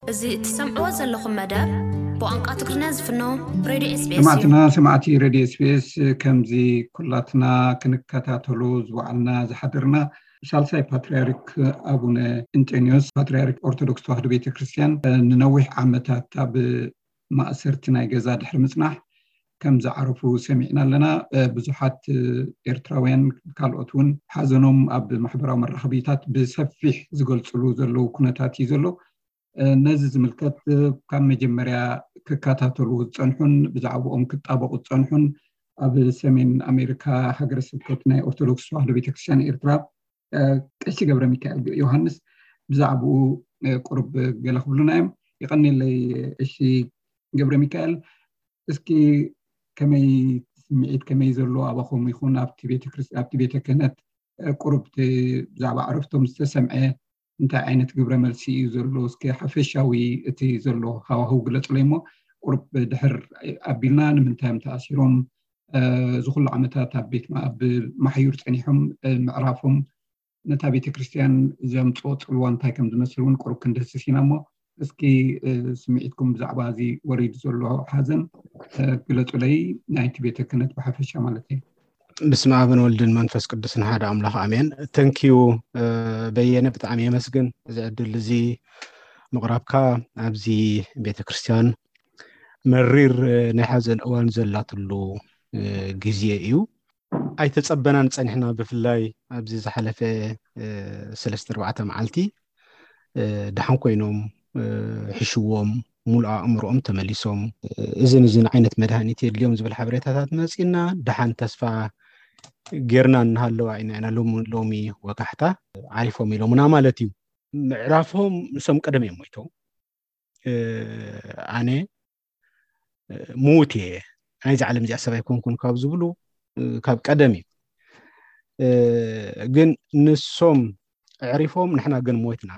እዚ እትሰምዕዎ ዘለኹም መደብ ብቋንቋ ትግርኛ ዝፍኖ ብ ሬድዮ ኤስቢኤስ እዩ። ሰማዕትና ሰማዕቲ ሬድዮ ኤስቢኤስ፣ ከምዚ ኩላትና ክንከታተሎ ዝወዓልና ዝሓደርና፣ ሳልሳይ ፓትርያርክ ኣቡነ እንጠንዮስ፣ ፓትርያርክ ኦርቶዶክስ ተዋህዶ ቤተክርስትያን፣ ንነዊሕ ዓመታት ኣብ ማእሰርቲ ናይ ገዛ ድሕሪ ምጽናሕ ከም ዝዓረፉ ሰሚዕና ኣለና። ብዙሓት ኤርትራውያን ካልኦት እውን ሓዘኖም ኣብ ማሕበራዊ መራኸቢታት ብሰፊሕ ዝገልጽሉ ዘለዉ ኩነታት እዩ ዘሎ። ነዚ ዝምልከት ካብ መጀመርያ ክከታተሉ ዝጸንሑን ብዛዕባኦም ክጣበቑ ዝጸንሑን ኣብ ሰሜን ኣሜሪካ ሃገረ ስብከት ናይ ኦርቶዶክስ ተዋህዶ ቤተክርስትያን ኤርትራ ቀሺ ገብረ ሚካኤል ዮሃንስ ብዛዕባኡ ቁሩብ ገለ ክብሉና እዮም። ይቐኒለይ ቀሺ ገብረ ሚካኤል፣ እስኪ ከመይ ስምዒት ከመይ ዘሎ ኣባኹም ይኹን ኣብቲ ቤተ ክህነት ቁሩብ ብዛዕባ ዕረፍቶም ዝተሰምዐ እንታይ ዓይነት ግብረ መልሲ እዩ ዘሎ? እስኪ ሓፈሻዊ እቲ ዘሎ ሃዋህው ግለጹለይ እሞ ቁሩብ ድሕር ኣቢልና ንምንታይ እዮም ተኣሲሮም? እዚ ኩሉ ዓመታት ኣብ ቤት ኣብ ማሕዩር ጸኒሖም ምዕራፎም ነታ ቤተ ክርስቲያን ዘምፅኦ ፅልዋ እንታይ ከም ዝመስል እውን ቁሩብ ክንድህስስ ኢና እሞ እስኪ ስምዒትኩም ብዛዕባ እዚ ወሪዱ ዘሎ ሓዘን ግለፁለይ። ናይቲ ቤተ ክህነት ብሓፈሻ ማለት እዩ። ብስመ ኣብን ወልድን መንፈስ ቅዱስን ሓደ ኣምላኽ ኣሜን። ተንኪዩ በየነ፣ ብጣዕሚ የመስግን እዚ ዕድል እዚ ምቕራብካ። ኣብዚ ቤተ ክርስቲያን መሪር ናይ ሓዘን እዋን ዘላትሉ ግዜ እዩ። ኣይተጸበናን ጸኒሕና። ብፍላይ ኣብዚ ዝሓለፈ ሰለስተ ኣርባዕተ መዓልቲ ደሓን ኮይኖም ሕሽዎም፣ ሙሉእ ኣእምሮኦም ተመሊሶም፣ እዝን እዝን ዓይነት መድሃኒት የድልዮም ዝብል ሓበሬታታት መጺና፣ ደሓን ተስፋ ጌርና እናሃለዋ ኢና ኢና ሎሚ ሎሚ ወጋሕታ ዓሪፎም ኢሎምና ማለት እዩ። ምዕራፎም ንሶም ቀደም እዮም ሞይቶም። ኣነ ምዉት እየ፣ ናይዚ ዓለም እዚኣ ሰብ ኣይኮንኩን ካብ ዝብሉ ካብ ቀደም እዩ። ግን ንሶም ኣዕሪፎም ንሕና ግን ሞይትና።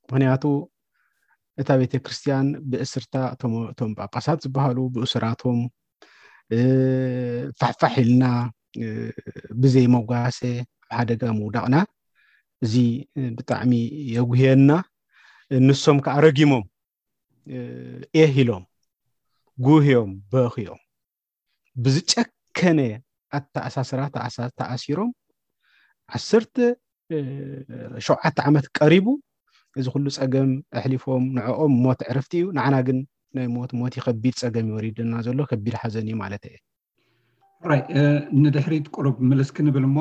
ምክንያቱ እታ ቤተ ክርስቲያን ብእስርታ እቶም ጳጳሳት ዝበሃሉ ብእስራቶም ፋሕፋሕ ኢልና ብዘይ መጓሰ ኣብ ሓደጋ ምውዳቕና እዚ ብጣዕሚ የጉህየና። ንሶም ከዓ ረጊሞም ኤህ ኢሎም ጉህዮም በኽዮም ብዝጨከነ ኣተኣሳስራ ተኣሲሮም ዓሰርተ ሸውዓተ ዓመት ቀሪቡ እዚ ኩሉ ፀገም ኣሕሊፎም ንዕኦም ሞት ዕርፍቲ እዩ። ንዓና ግን ናይ ሞት ሞት እዩ። ከቢድ ፀገም ይወሪድና ዘሎ፣ ከቢድ ሓዘን እዩ ማለት እየ። ራይ ንድሕሪት ቁሩብ ምልስ ክንብል እሞ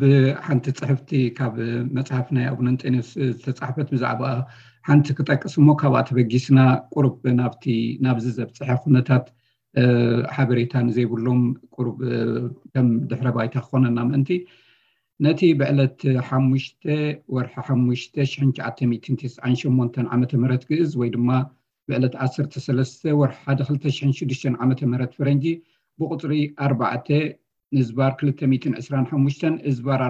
ብሓንቲ ፅሕፍቲ ካብ መፅሓፍ ናይ ኣቡነ እንጠንዮስ ዝተፃሕፈት ብዛዕባ ሓንቲ ክጠቅስ እሞ ካብኣ ተበጊስና ቁሩብ ናብቲ ናብዚ ዘብፅሐ ኩነታት ሓበሬታ ንዘይብሎም ቁሩብ ከም ድሕረ ባይታ ክኾነና ምእንቲ ነቲ ብዕለት ሓሙሽተ ወርሒ ሓሙሽተ ሽሕን ትሽዓተ ሚእትን ተስዓን ሸሞንተን ዓመተ ምህረት ግእዝ ወይ ድማ ብዕለት ዓሰርተ ሰለስተ ወርሒ ሓደ ክልተ ሽሕን ሽዱሽተን ዓመተ ምህረት ፈረንጂ ብቁፅሪ ኣርባዕተ ንዝባር ክልተ ሚእትን ዕስራን ሓሙሽተን እዝባር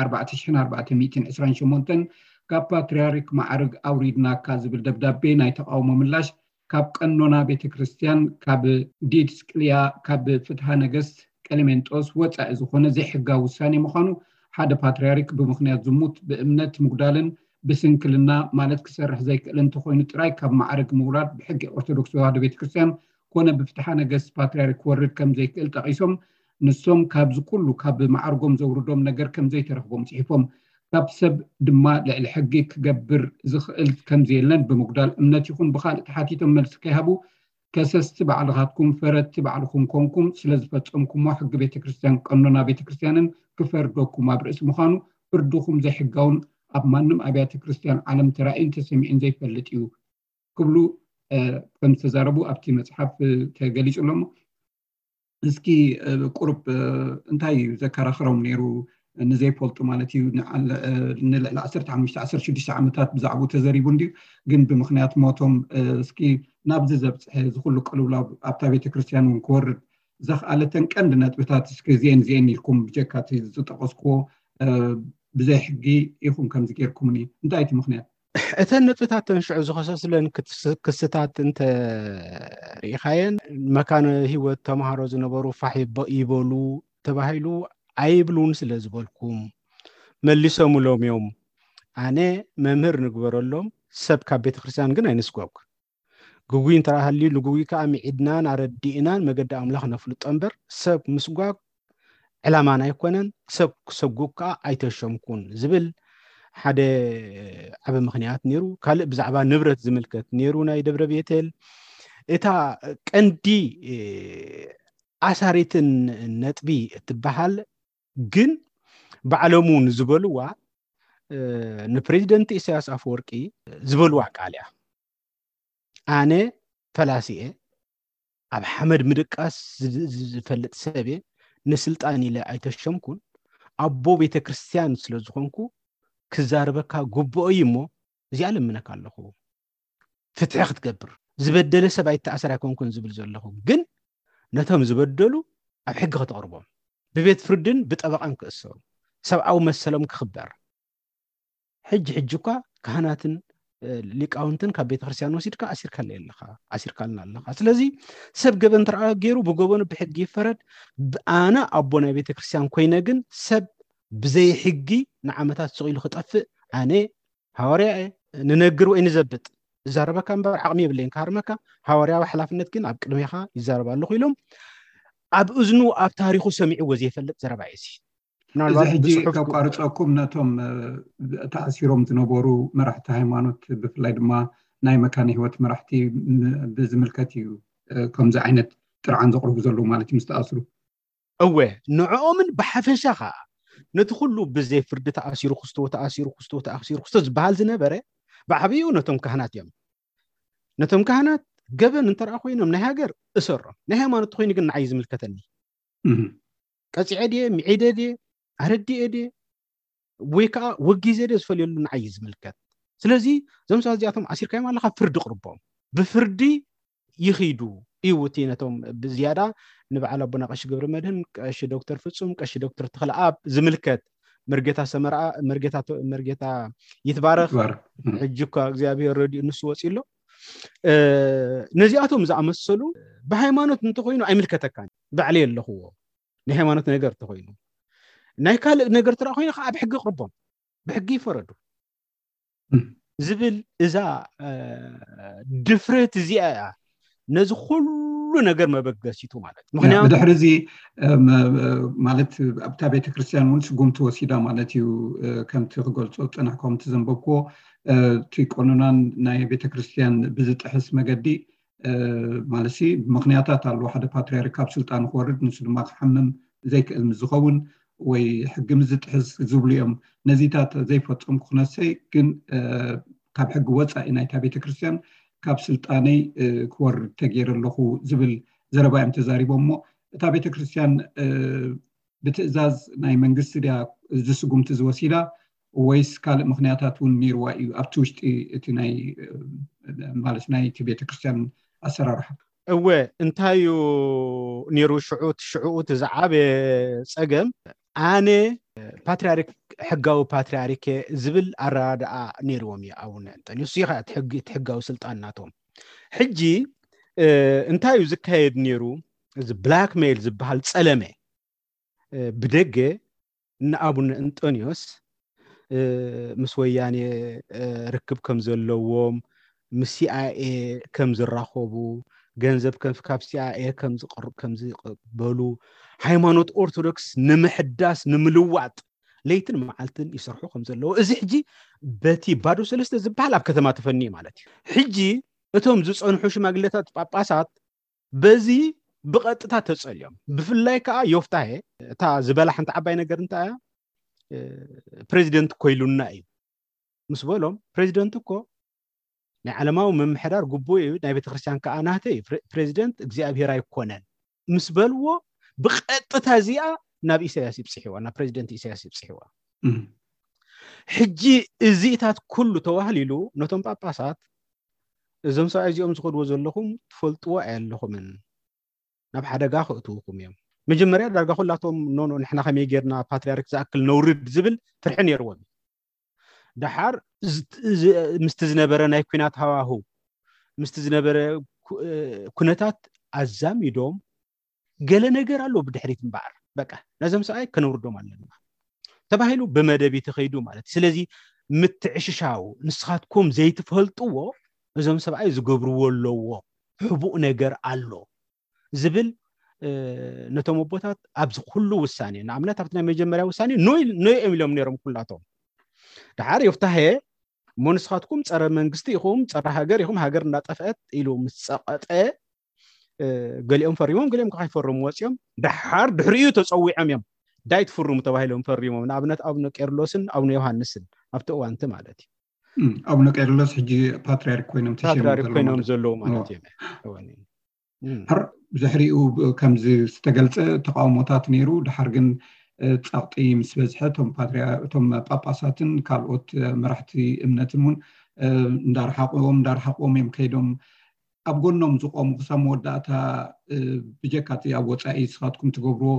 ኣርባዕተ ሽሕን ኣርባዕተ ሚእትን ዕስራን ሸሞንተን ካብ ፓትርያርክ ማዕርግ ኣውሪድናካ ዝብል ደብዳቤ ናይ ተቃውሞ ምላሽ ካብ ቀኖና ቤተ ክርስቲያን ካብ ዲድስቅልያ ካብ ፍትሃ ነገስት ቀሌሜንጦስ ወፃኢ ዝኾነ ዘይሕጋዊ ውሳኔ ምዃኑ ሓደ ፓትርያርክ ብምኽንያት ዝሙት ብእምነት ምጉዳልን ብስንክልና ማለት ክሰርሕ ዘይክእል እንተኾይኑ ጥራይ ካብ ማዕርግ ምውራድ ብሕጊ ኦርቶዶክስ ተዋህዶ ቤተክርስትያን ኮነ ብፍትሓ ነገስት ፓትርያርክ ክወርድ ከም ዘይክእል ጠቒሶም ንሶም ካብዚ ኩሉ ካብ ማዕርጎም ዘውርዶም ነገር ከም ዘይተረኽቦም ፅሒፎም ካብ ሰብ ድማ ልዕሊ ሕጊ ክገብር ዝኽእል ከም ዘየለን ብምጉዳል እምነት ይኹን ብኻልእ ተሓቲቶም መልሲ ከይሃቡ ከሰስቲ ባዕልኻትኩም ፈረድቲ ባዕልኹም ኮንኩም ስለዝፈፀምኩሞ ሕጊ ቤተክርስትያን ቀኖና ቤተክርስትያንን ክፈርደኩም ኣብ ርእሲ ምዃኑ ፍርድኹም ዘይሕጋውን ኣብ ማንም ኣብያተ ክርስትያን ዓለም ተራእዩን ተሰሚዑን ዘይፈልጥ እዩ ክብሉ ከም ዝተዛረቡ ኣብቲ መፅሓፍ ተገሊፁ ኣሎ። እስኪ ቁሩብ እንታይ እዩ ዘከራኽሮም ነይሩ ንዘይፈልጡ ማለት እዩ ንልዕሊ ዓሰርተ ሓሙሽተ ዓሰርተ ሽዱሽተ ዓመታት ብዛዕባኡ ተዘሪቡ እንድዩ ግን ብምኽንያት ሞቶም እስኪ ናብዚ ዘብፅሐ ዝኩሉ ቅልውላው ኣብታ ቤተክርስትያን እውን ክወርድ ዘኽኣለተን ቀንዲ ነጥብታት እስኪ እዚኤን እዚኤን ኢልኩም ብጀካ እቲ ዝጠቀስክዎ ብዘይ ሕጊ ኢኹም ከምዚ ጌርኩምኒ እንታይ እቲ ምኽንያት? እተን ነጥብታት ተንሽዑ ዝኸሰስለን ክስታት እንተ ርኢኻየን መካነ ህይወት ተምሃሮ ዝነበሩ ፋሕ ይበሉ ተባሂሉ ኣይብሉን ስለ ዝበልኩም መሊሶምሎም እዮም። ኣነ መምህር ንግበረሎም ሰብ ካብ ቤተክርስትያን ግን ኣይንስጎግ። ግጉይ እንተ ሃልዩ ንግጉይ ከዓ ምዒድናን ኣረዲእናን መገዲ ኣምላኽ ነፍልጦ እምበር ሰብ ምስጓግ ዕላማና ኣይኮነን። ሰብ ክሰጉግ ከዓ ኣይተሸምኩን ዝብል ሓደ ዓቢ ምኽንያት ነይሩ። ካልእ ብዛዕባ ንብረት ዝምልከት ነይሩ ናይ ደብረ ቤተል። እታ ቀንዲ ኣሳሪትን ነጥቢ እትበሃል ግን ባዕሎም እውን ዝበልዋ ንፕሬዚደንት ኢሳያስ ኣፈወርቂ ዝበልዋ ቃል እያ። ኣነ ፈላሲ እየ፣ ኣብ ሓመድ ምድቃስ ዝፈልጥ ሰብ እየ፣ ንስልጣን ኢለ ኣይተሸምኩን፣ ኣቦ ቤተ ክርስቲያን ስለ ዝኾንኩ ክዛረበካ ግቡኦ እዩ እሞ እዚኣ ለምነካ ኣለኹ፣ ፍትሒ ክትገብር። ዝበደለ ሰብ ኣይተኣሰር ኣይኮንኩን ዝብል ዘለኹ፣ ግን ነቶም ዝበደሉ ኣብ ሕጊ ከተቕርቦም፣ ብቤት ፍርድን ብጠበቓን ክእሰሩ፣ ሰብኣዊ መሰሎም ክኽበር። ሕጂ ሕጂ እኳ ካህናትን ሊቃውንትን ካብ ቤተ ክርስቲያን ወሲድካ ኣሲርካለይ ኣለኻ፣ ኣሲርካልና ኣለኻ። ስለዚ ሰብ ገበን እንተ ገይሩ ብገበኑ ብሕጊ ይፈረድ። ኣነ ኣቦ ናይ ቤተ ክርስቲያን ኮይነ ግን ሰብ ብዘይ ሕጊ ንዓመታት ስቕ ኢሉ ክጠፍእ ኣነ ሃዋርያ እየ። ንነግር ወይ ንዘብጥ እዛረበካ እምበር ዓቕሚ የብለይን ክሃርመካ። ሃዋርያዊ ሓላፍነት ግን ኣብ ቅድሜኻ ይዛረብ ኣለኹ ኢሎም ኣብ እዝኑ ኣብ ታሪኹ ሰሚዕዎ ዘይፈልጥ ዘረባ እዩ እዚ። እዚ ሕጂ ከቋርፀኩም ነቶም ተኣሲሮም ዝነበሩ መራሕቲ ሃይማኖት ብፍላይ ድማ ናይ መካነ ህይወት መራሕቲ ብዝምልከት እዩ ከምዚ ዓይነት ጥርዓን ዘቕርቡ ዘለዉ ማለት እዩ ምስ ተኣስሩ። እወ ንዕኦምን ብሓፈሻ ከዓ ነቲ ኩሉ ብዘይ ፍርዲ ተኣሲሩ ክስቶ ተኣሲሩ ክስቶ ተኣሲሩ ክስቶ ዝበሃል ዝነበረ ብዓብዩ ነቶም ካህናት እዮም። ነቶም ካህናት ገበን እንተረኣ ኮይኖም ናይ ሃገር እሰሮም፣ ናይ ሃይማኖት ተኮይኑ ግን ንዓይ ዝምልከተኒ ቀፂዐ ድየ፣ ምዒደ ድየ፣ ኣረዲኤ ድየ ወይ ከዓ ወጊዘ ድየ ዝፈልየሉ ንዓይ ዝምልከት። ስለዚ እዞም ሰባት እዚኣቶም ኣሲርካዮም ኣለካ፣ ፍርዲ ቅርቦም፣ ብፍርዲ ይኺዱ እዩ። እቲ ነቶም ብዝያዳ ንበዓል ኣቦና ቀሺ ገብረ መድህን፣ ቀሺ ዶክተር ፍጹም፣ ቀሺ ዶክተር ተኽለኣብ ዝምልከት፣ መርጌታ ሰመርኣ፣ መርጌታ ይትባረክ፣ ሕጂ እኳ እግዚኣብሔር ረድኡ ንሱ ወፂ ኣሎ። ነዚኣቶም ዝኣመሰሉ ብሃይማኖት እንተኮይኑ ኣይምልከተካን፣ ባዕለይ ኣለኽዎ። ናይ ሃይማኖት ነገር እንተኮይኑ፣ ናይ ካልእ ነገር ትረኣ ኮይኑ ከዓ ብሕጊ ቅርቦም፣ ብሕጊ ይፈረዱ ዝብል እዛ ድፍረት እዚኣ እያ ነዚ ኩሉ ነገር መበገሲቱ ማለት። ምክንያቱ ብድሕሪ እዚ ማለት ኣብታ ቤተክርስትያን እውን ስጉምቲ ወሲዳ ማለት እዩ። ከምቲ ክገልፆ ዝፀናሕኩም ከምቲ ዘንበብክዎ እቲ ቀኖናን ናይ ቤተክርስትያን ብዝጥሕስ መገዲ ማለት ምክንያታት ኣለዎ። ሓደ ፓትርያርክ ካብ ስልጣኑ ክወርድ ንሱ ድማ ክሓምም ዘይክእል ምስ ዝኸውን ወይ ሕጊ ምስ ዝጥሕስ ዝብሉ እዮም። ነዚታት ዘይፈፀምኩ ክነሰይ ግን ካብ ሕጊ ወፃኢ ናይታ ቤተክርስትያን ካብ ስልጣነይ ክወርድ ተገይረ ኣለኹ ዝብል ዘረባ እዮም ተዛሪቦም። እሞ እታ ቤተክርስትያን ብትእዛዝ ናይ መንግስቲ ድያ እዚ ስጉምቲ ዝወሲዳ ወይስ ካልእ ምክንያታት እውን ነይርዋ እዩ ኣብቲ ውሽጢ እቲ ናይ ማለት ናይቲ ቤተክርስትያን ኣሰራርሓ? እወ እንታይ እዩ ነይሩ ሽዑ ሽዑኡ እቲ ዝዓበየ ፀገም ኣነ ፓትርያርክ ሕጋዊ ፓትርያርክ ዝብል ኣረዳድኣ ነይርዎም እዩ ኣቡነ እንጠንዮስ እዚ ከዓ እቲ ሕጋዊ ስልጣን ናቶም። ሕጂ እንታይ እዩ ዝካየድ ነይሩ? እዚ ብላክሜይል ዝበሃል ፀለመ ብደገ ንኣቡነ እንጠንዮስ ምስ ወያኔ ርክብ ከም ዘለዎም ምስ ሲኣይኤ ከም ዝራኸቡ ገንዘብ ካብ ሲኣይኤ ከም ዝበሉ ሃይማኖት ኦርቶዶክስ ንምሕዳስ ንምልዋጥ ለይትን መዓልትን ይሰርሑ ከም ዘለዉ እዚ ሕጂ በቲ ባዶ ሰለስተ ዝበሃል ኣብ ከተማ ተፈኒ ማለት እዩ። ሕጂ እቶም ዝፀንሑ ሽማግሌታት ጳጳሳት በዚ ብቐጥታ ተፀልዮም። ብፍላይ ከዓ ዮፍታሄ እታ ዝበላ ሓንቲ ዓባይ ነገር እንታይ እያ? ፕሬዚደንት ኮይሉና እዩ ምስ በሎም፣ ፕሬዚደንት እኮ ናይ ዓለማዊ ምምሕዳር ግቡእ እዩ፣ ናይ ቤተክርስትያን ከዓ ናተይ እዩ። ፕሬዚደንት እግዚኣብሔር ኣይኮነን ምስ በልዎ ብቐጥታ እዚኣ ናብ ኢሳያስ ይብፅሕዋ፣ ናብ ፕሬዚደንት ኢሳያስ ይብፅሕዋ። ሕጂ እዚታት ኩሉ ተዋህሊሉ ነቶም ጳጳሳት እዞም ሰብኣይ እዚኦም ዝኸድዎ ዘለኹም ትፈልጥዎ ኣየለኹምን፣ ናብ ሓደጋ ከእትውኹም እዮም። መጀመርያ ዳርጋ ኩላቶም ኖኖ ንሕና ከመይ ጌርና ፓትርያርክ ዝኣክል ነውርድ ዝብል ፍርሒ ነይርዎም እዩ። ደሓር ምስቲ ዝነበረ ናይ ኩናት ሃዋህው ምስቲ ዝነበረ ኩነታት ኣዛሚዶም ገለ ነገር ኣሎ ብድሕሪት እምበኣር በቃ ነዞም ሰብኣይ ከነውርዶም ኣለና ተባሂሉ ብመደብ እዩ ተኸይዱ ማለት እዩ። ስለዚ ምትዕሽሻው ንስኻትኩም ዘይትፈልጥዎ እዞም ሰብኣይ ዝገብርዎ ኣለዎ ሕቡእ ነገር ኣሎ ዝብል ነቶም ኣቦታት ኣብዚ ኩሉ ውሳኔ ንኣብነት ኣብቲ ናይ መጀመርያ ውሳኔ ኖይ እዮም ኢሎም ነይሮም ኩላቶም። ደሓር ዮፍታሄ እሞ ንስኻትኩም ፀረ መንግስቲ ኢኹም፣ ፀረ ሃገር ኢኹም፣ ሃገር እናጠፍአት ኢሉ ምስ ፀቐጠ ገሊኦም ፈሪሞም ገሊኦም ከይፈርሙ ወፂኦም። ደሓር ድሕሪኡ ተፀዊዖም እዮም ዳይ ትፍርሙ ተባሂሎም ፈሪሞም። ንኣብነት ኣቡነ ቄርሎስን ኣቡነ ዮሃንስን ኣብቲ እዋንቲ ማለት እዩ። ኣቡነ ቄርሎስ ሕጂ ፓትሪያርክ ኮይኖም ተሸይሞም ፓትሪያርክ ዘለዉ ኮይኖም ማለት እዩ። ዘለዉ ማለት ኖ። እዮም። እወን። ድሕር ብድሕሪኡ ብ- ከምዚ ዝተገልጸ ተቃውሞታት ነይሩ። ድሓር ግን እ፣ ጸቕጢ ምስ በዝሐ እቶም ፓትሪያ እቶም ጳጳሳትን ካልኦት እ፣ መራሕቲ እምነትን እውን እ፣ እንዳረሓቕዎም እንዳረሓቕዎም እዮም ከይዶም። ኣብ ጎኖም ዝቆሙ ክሳብ መወዳእታ እ፣ ብጀካ እቲ ኣብ ወጻኢ ንስኻትኩም ትገብርዎ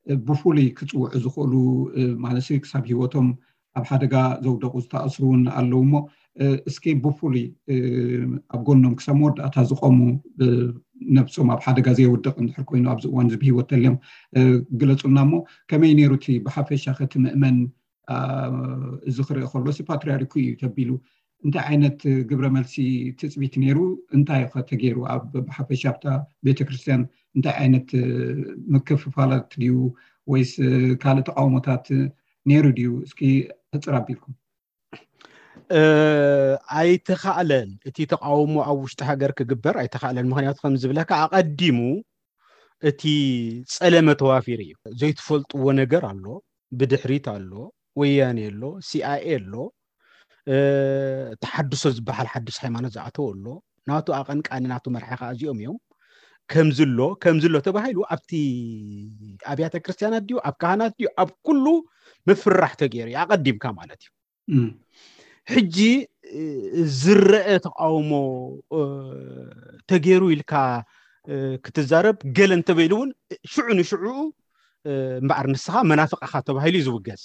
እ፣ ብፍሉይ ክጽውዑ ዝኽእሉ እ፣ ማለት ክሳብ ህይወቶም ኣብ ሓደጋ ዘውደቑ ዝተኣስሩ እውን ኣለዉ እሞ እ፣ እስኪ ብፍሉይ እ፣ ኣብ ጎኖም ክሳብ መወዳእታ ዝቆሙ እ፣ ነብሶም ኣብ ሓደጋ ዘየውድቕ እንድሕር ኮይኑ ኣብዚ እዋን እዚ ብህይወት ተልዮም እ፣ ግለጹልና እሞ ከመይ ነይሩ እቲ ብሓፈሻ ከቲ ምእመን አ፣ እዚ ክርኢ ከሎ ሲ ፓትሪያርኩ እዩ ተቢሉ እንታይ ዓይነት ግብረ መልሲ ትጽቢት ነይሩ? እንታይ ከ ተገይሩ? ኣብ ብሓፈሻ ኣብታ ቤተክርስትያን እንታይ ዓይነት እ፣ ምክፍፋላት ድዩ ወይስ እ፣ ካልእ ተቃውሞታት ነይሩ ድዩ? እስኪ ሕጽር ኣቢልኩም። እ፣ ኣይተኻእለን። እቲ ተቃውሞ ኣብ ውሽጢ ሃገር ክግበር ኣይተኻእለን። ምክንያቱ ከም ዝብለካ ኣቐዲሙ እቲ ጸለመ ተዋፊሩ እዩ። ዘይትፈልጥዎ ነገር ኣሎ፣ ብድሕሪት ኣሎ፣ ወያኔ ኣሎ፣ ሲኣይኤ ኣሎ፣ እ፣ ተሓድሶ ዝበሃል ሓድሽ ሃይማኖት ዝኣተወ ኣሎ፣ ናቱ ኣቐንቃኒ ናቱ መርሒ ከዓ እዚኦም እዮም። ከምዚ ኣሎ ከምዚ ኣሎ ተባሂሉ ኣብቲ ኣብያተ ክርስቲያናት ድዩ ኣብ ካህናት ድዩ ኣብ ኩሉ ምፍራሕ ተገይሩ እዩ ኣቐዲምካ ማለት እዩ። እም፣ ሕጂ እ፣ ዝረአ ተቃውሞ እ፣ ተገይሩ ኢልካ እ፣ ክትዛረብ ገለ እንተበይሉ እውን ሽዑ ንሽዑ እ፣ እምበኣር ንስኻ መናፍቕ ኢኻ ተባሂሉ እዩ ዝውገዝ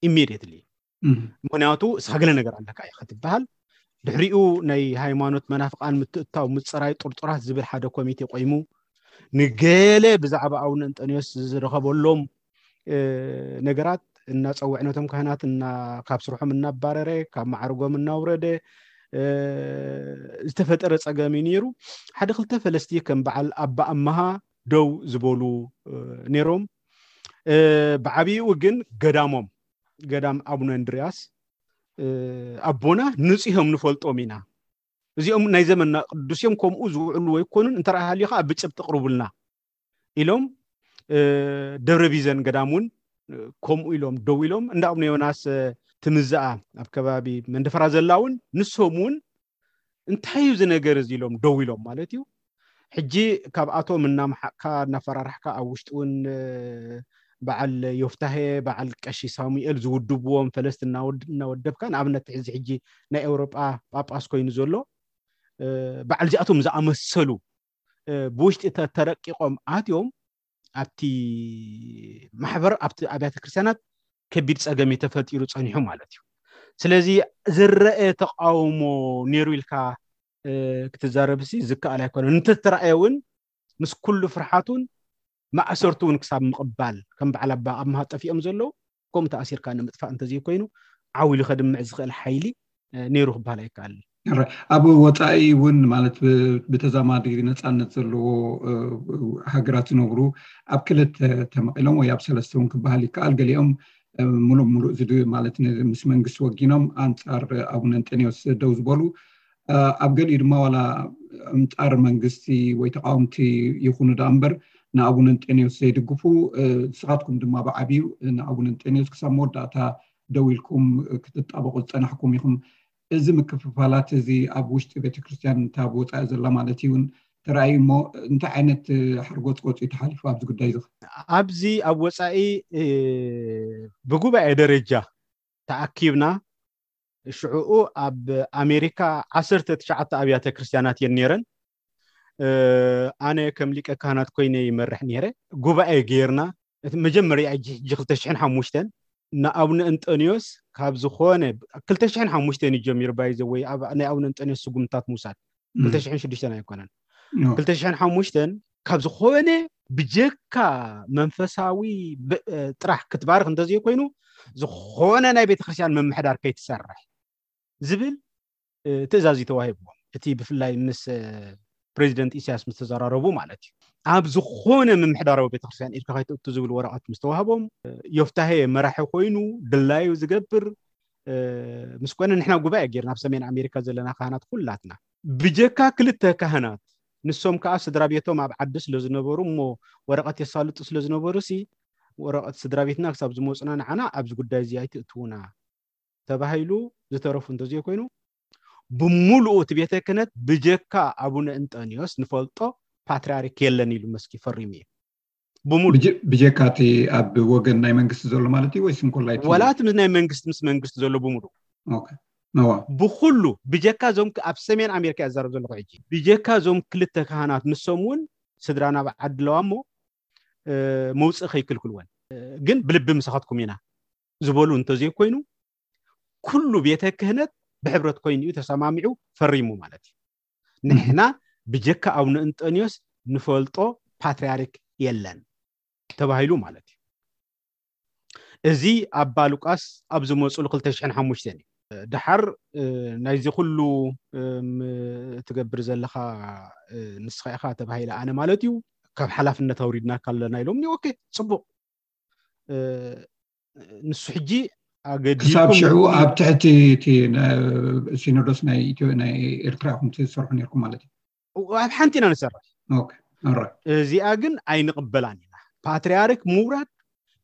ኢሚድየትሊ። እም፣ ምክንያቱ እስኻ ገለ ነገር ኣለካ ኢኻ ትበሃል። ድሕሪኡ ናይ ሃይማኖት መናፍቃን ምትእታው ምፅራይ ጥርጡራት ዝብል ሓደ ኮሚቴ ቆይሙ ንገለ ብዛዕባ ኣቡነ እንጠንዮስ ዝረኸበሎም እ፣ ነገራት እናፀውዐ ነቶም ካህናት እና ካብ ስርሖም እናባረረ ካብ ማዕርጎም እናውረደ እ፣ ዝተፈጠረ ፀገም እዩ ነይሩ። ሓደ ክልተ ፈለስቲ ከም በዓል ኣባ ኣመሃ ደው ዝበሉ እ፣ ነይሮም። እ፣ ብዓብይኡ ግን ገዳሞም ገዳም ኣቡነ እንድርያስ እ፣ ኣቦና ንፂሆም ንፈልጦም ኢና። እዚኦም ናይ ዘመንና ቅዱስ እዮም፣ ከምኡ ዝውዕሉ ኣይኮኑን፣ እንተ ረኣ ሃልዩ ከዓ ብጭብጢ ቅርቡልና ኢሎም እ፣ ደብረ ቢዘን ገዳም እውን እ፣ ከምኡ ኢሎም ደው ኢሎም። እንዳ ኣቡነ ዮናስ እ፣ ትምዛኣ ኣብ ከባቢ መንደፈራ ዘላ እውን ንሶም እውን እንታይ እዩ እዚ ነገር እዚ ኢሎም ደው ኢሎም ማለት እዩ። ሕጂ ካብኣቶም እናመሓቅካ እናፈራራሕካ ኣብ ውሽጢ እውን እ፣ በዓል ዮፍታሄ በዓል ቀሺ ሳሙኤል ዝውድብዎም ፈለስቲ እናወድ- እናወደብካ ንኣብነት እዚ ሕጂ ናይ ኤውሮጳ ጳጳስ ኮይኑ ዘሎ እ፣ በዓል እዚኣቶም ዝኣመሰሉ እ፣ ብውሽጢ ተ- ተረቂቖም ኣትዮም ኣብቲ ማሕበር ኣብቲ ኣብያተ ክርስቲያናት ከቢድ ፀገም እዩ ተፈጢሩ ፀኒሑ ማለት እዩ። ስለዚ ዝረአ ተቃውሞ ነይሩ ኢልካ እ፣ ክትዛረብሲ ዝከኣል ኣይኮነን። እንተተረኣየ እውን ምስ ኩሉ ፍርሓቱን ማእሰርቱ እውን ክሳብ ምቕባል ከም በዓል ኣባ ኣምሃ ጠፊኦም ዘለዉ ከምኡ ተኣሲርካ ንምጥፋእ እንተዘይኮይኑ ዓው ኢሉ ከድምዕ ዝኽእል ሓይሊ እ፣ ነይሩ ክበሃል ኣይከኣልን። ረ- ኣብ ወፃኢ እውን ማለት ብ- ብተዛማዲ ነፃነት ዘለዎ እ፣ ሃገራት ዝነብሩ ኣብ ክልተ ተመቂሎም ወይ ኣብ ሰለስተ እውን ክበሃል ይከኣል። ገሊኦም እ፣ ሙሉእ ሙሉእ ዝድ ማለት ን- ምስ መንግስቲ ወጊኖም ኣንፃር ኣቡነ እንጠኒዎስ ደው ዝበሉ እ፣ ኣብ ገሊኡ ድማ ዋላ ኣንፃር መንግስቲ ወይ ተቃወምቲ ይኹኑ ደኣ እምበር ንኣቡነ እንጠኒዎስ ዘይድግፉ እ፣ ንስኻትኩም ድማ ብዓብዩ ንኣቡነ እንጠኒዎስ ክሳብ መወዳእታ ደው ኢልኩም ክትጣበቁ ዝፀናሕኩም ኢኹም። እዚ ምክፍፋላት እዚ ኣብ ውሽጢ ቤተክርስትያን እንታ ብወፃኢ ዘላ ማለት እዩ እውን ተራእዩ እሞ እንታይ ዓይነት ሓርጎፅጎፅ እዩ ተሓሊፉ ኣብዚ ጉዳይ እዚ? ኣብዚ ኣብ ወፃኢ እ፣ ብጉባኤ ደረጃ ተኣኪብና ሽዕኡ ኣብ ኣሜሪካ ዓሰርተ ትሽዓተ ኣብያተ ክርስቲያናት እየን ነይረን። እ፣ ኣነ ከም ሊቀ ካህናት ኮይነ ይመርሕ ነይረ። ጉባኤ ገይርና እቲ መጀመርያ ሕጂ ሕጂ ክልተ ሽሕን ሓሙሽተን ንኣቡነ እንጠንዮስ ካብ ዝኾነ ክልተ ሽሕን ሓሙሽተን እዩ ጀሚሩ ባይዘ ወይ ኣብ ናይ ኣቡነ እንጠንዮስ ስጉምታት ምውሳድ እም፣ ክልተ ሽሕን ሽዱሽተን ኣይኮነን ኖ፣ ክልተ ሽሕን ሓሙሽተን ካብ ዝኾነ ብጀካ መንፈሳዊ ጥራሕ ክትባርኽ እንተዘይኮይኑ፣ ዝኾነ ናይ ቤተክርስትያን ምምሕዳር ከይትሰርሕ ዝብል ትእዛዝ እዩ ተዋሂብዎም። እቲ ብፍላይ ምስ ፕሬዚደንት ኢሳያስ ምስ ተዘራረቡ ማለት እዩ። ኣብ ዝኾነ ምምሕዳራዊ ቤተክርስትያን ኢድካ ከይተእቱ ዝብል ወረቐት ምስ ተዋህቦም፣ ዮፍታሄ መራሒ ኮይኑ ድላዩ ዝገብር ምስ ኮነ፣ ንሕና ጉባኤ ጌርና ኣብ ሰሜን ኣሜሪካ ዘለና ካህናት ኩላትና፣ ብጀካ ክልተ ካህናት፣ ንሶም ከዓ ስድራ ቤቶም ኣብ ዓዲ ስለ ዝነበሩ እሞ ወረቐት የሳልጡ ስለ ዝነበሩ ሲ፣ ወረቐት ስድራ ቤትና ክሳብ ዝመፁና ንዓና ኣብዚ ጉዳይ እዚ ኣይትእትውና ተባሂሉ ዝተረፉ እንተዘይኮይኑ፣ ብምሉኡ እቲ ቤተ ክህነት ብጀካ ኣቡነ እንጠንዮስ ንፈልጦ ፓትርያርክ የለን ኢሉ መስኪ ፈሪሙ እዩ። ብምሉእ ብጀ- ብጀካ እቲ ኣብ ወገን ናይ መንግስቲ ዘሎ ማለት እዩ ወይስ እንኮላይ እቲ ወላ እቲ ምስ ናይ መንግስቲ ምስ መንግስቲ ዘሎ ብምሉእ ኦኬ። እዋ። ብኩሉ ብጀካ እዞም ክ- ኣብ ሰሜን ኣሜሪካ እዛረብ ዘለኹ ሕጂ ብጀካ እዞም ክልተ ካህናት ንሶም እውን ስድራና ኣብ ዓዲ ኣለዋ እሞ እ፣ መውፅእ ከይክልክልወን እ፣ ግን ብልቢ ምሳኻትኩም ኢና ዝበሉ እንተዘይኮይኑ ኩሉ ቤተ ክህነት ብሕብረት ኮይኑ እዩ ተሰማሚዑ ፈሪሙ ማለት እዩ። ንሕና ብጀካ ኣቡነ እንጠንዮስ ንፈልጦ ፓትርያርክ የለን ተባሂሉ ማለት እዩ። እዚ ኣባ ሉቃስ ኣብ ዝመፁሉ ክልተ ሽሕን ሓሙሽተን እዩ። ድሓር እ፣ ናይዚ ኩሉ እ፣ ም- ትገብር ዘለኻ እ፣ ንስኻ ኢኻ ተባሂለ ኣነ ማለት እዩ። ካብ ሓላፍነት ኣውሪድናካ ኣለና ኢሎም ኒ ኦኬ፣ ፅቡቕ እ፣ ንሱ ሕጂ ክሳብ ኣገዲድኩም ሽዑ እቲ ኣብ ትሕቲ እቲ ነ- ሲኖዶስ ናይ ኢትዮ ናይ ኤርትራ ኢኹም ትሰርሑ ነርኩም ማለት እዩ። ኣብ ሓንቲ ኢና ንሰርሕ። ኦኬ፣ ኦራይት። እዚኣ ግን ኣይንቕበላን ኢና። ፓትርያርክ ምውራድ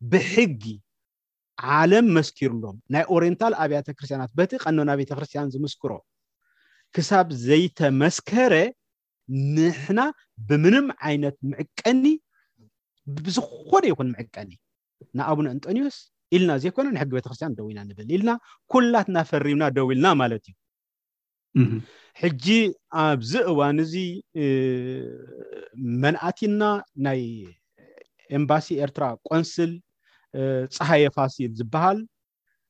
ብሕጊ ዓለም መስኪሩሎም፣ ናይ ኦሪየንታል ኣብያተ ክርስቲያናት በቲ ቀኖና ቤተ ክርስቲያን ዝምስክሮ ክሳብ ዘይተመስከረ ንሕና ብምንም ዓይነት ምዕቀኒ፣ ብዝኾነ ይኹን ምዕቀኒ ንኣቡነ እንጠንዮስ ኢልና ዘይኮነ ንሕጊ ቤተክርስትያን ደው ኢና ንብል ኢልና ኩላትና ፈሪምና ደው ኢልና ማለት እዩ። እህ። ሕጂ ኣብዚ እዋን እዚ እ፣ መን ኣቲና? ናይ ኤምባሲ ኤርትራ ቆንስል እ፣ ፀሃየ ፋሲል ዝበሃል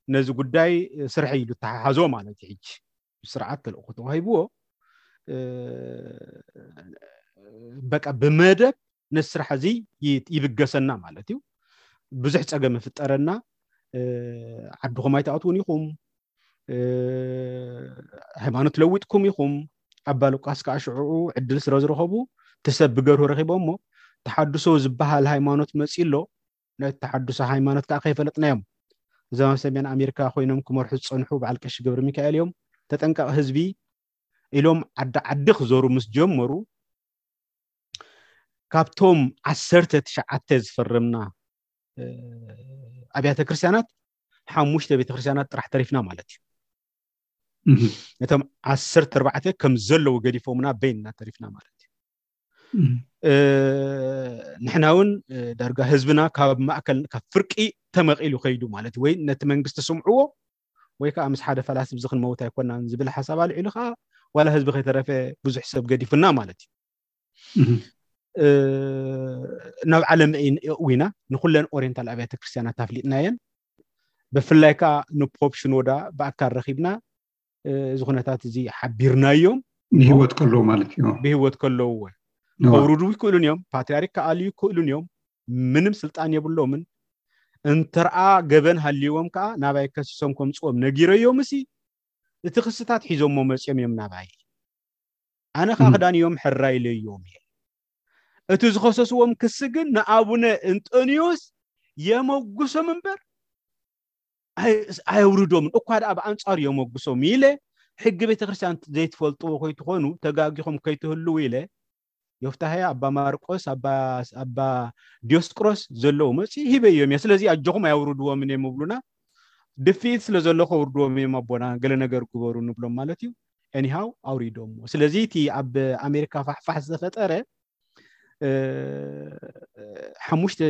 ነዚ ጉዳይ ስርሐ ኢሉ ተሓሓዞ ማለት እዩ። ሕጂ ብስርዓት ተልእኮ ተዋሂብዎ እ፣ በቃ ብመደብ ነዚ ስራሕ እዚ ይ- ይብገሰና ማለት እዩ። ብዙሕ ፀገም ይፍጠረና። እ፣ ዓድኹም ኣይትኣትውን ኢኹም፣ እ፣ ሃይማኖት ለዊጥኩም ኢኹም። ኣባ ሉቃስ ከዓ ሽዑ ዕድል ስለ ዝረኸቡ እቲ ሰብ ብገርሁ ረኺቦሞ ተሓድሶ ዝበሃል ሃይማኖት መፂ ኣሎ። ነቲ ተሓድሶ ሃይማኖት ከዓ ከይፈለጥናዮም እዞም ኣብ ሰሜን ኣሜሪካ ኮይኖም ክመርሑ ዝፀንሑ በዓል ቀሺ ገብረ ሚካኤል እዮም። ተጠንቀቕ ህዝቢ ኢሎም ዓዲ ዓዲ ክዞሩ ምስ ጀመሩ ካብቶም ዓሰርተ ትሽዓተ ዝፈረምና እ፣ ኣብያተ ክርስቲያናት ሓሙሽተ ቤተክርስትያናት ጥራሕ ተሪፍና ማለት እዩ። እህ። ነቶም ዓሰርተ ኣርባዕተ ከም ዘለዉ ገዲፎምና በይንና ተሪፍና ማለት እዩ። እህ። እ፣ ንሕና እውን እ፣ ዳርጋ ህዝብና ካብ ማእከል ካብ ፍርቂ ተመቒሉ ከይዱ ማለት እዩ። ወይ ነቲ መንግስቲ ስምዕዎ ወይ ከዓ ምስ ሓደ ፈላሲ ብዚ ክንመውት ኣይኮናን ዝብል ሓሳብ ኣልዒሉ ከዓ ዋላ ህዝቢ ከይተረፈ ብዙሕ ሰብ ገዲፉና ማለት እዩ። እህ። እ፣ ናብ ዓለም እይ- እዊና ንኩለን ኦሪየንታል ኣብያተ ክርስቲያናት ኣፍሊጥናየን። ብፍላይ ከዓ ንፖፕ ሽኖዳ ብኣካል ረኺብና እ፣ እዚ ኩነታት እዚ ሓቢርናዮም። ንህይወት ከለዉ ማለት እዩ። ብህይወት ከለዉ እወ። እዋ። ከውርዱ ይክእሉን እዮም። ፓትርያርክ ክኣልዩ ይክእሉን እዮም። ምንም ስልጣን የብሎምን። እንተርኣ ገበን ሃልይዎም ከዓ ናባይ ከሲሶም ከምፅዎም ነጊረዮም እሲ እቲ ክስታት ሒዞሞ መፅዮም እዮም ናባይ። ኣነ ከዓ እም። ክዳን እዮም ሕራ ኢለዮም እየ። እቲ ዝኸሰስዎም ክሲ ግን ንኣቡነ እንጠንዮስ የመጉሶም እምበር ኣይ- ኣየውርዶምን። እኳ ደኣ ብኣንጻሩ የመጉሶም ኢለ ሕጊ ቤተክርስትያን ዘይትፈልጥዎ ከይትኾኑ ተጋጊኹም ከይትህልዉ ኢለ ዮፍታሄ፣ ኣባ ማርቆስ፣ ኣባ ኣባ ዲዮስቅሮስ ዘለዉ መጺ ሂበዮም እየ። ስለዚ ኣጆኹም ኣየውርድዎምን እዮም ይብሉና። ድፍኢት ስለ ዘሎ ከውርድዎም እዮም ኣቦና፣ ገለ ነገር ግበሩ ንብሎም ማለት እዩ። ኤኒሃው ኣውሪዶምዎ። ስለዚ እቲ ኣብ ኣሜሪካ ፋሕፋሕ ዝተፈጠረ እ፣ ሓሙሽተ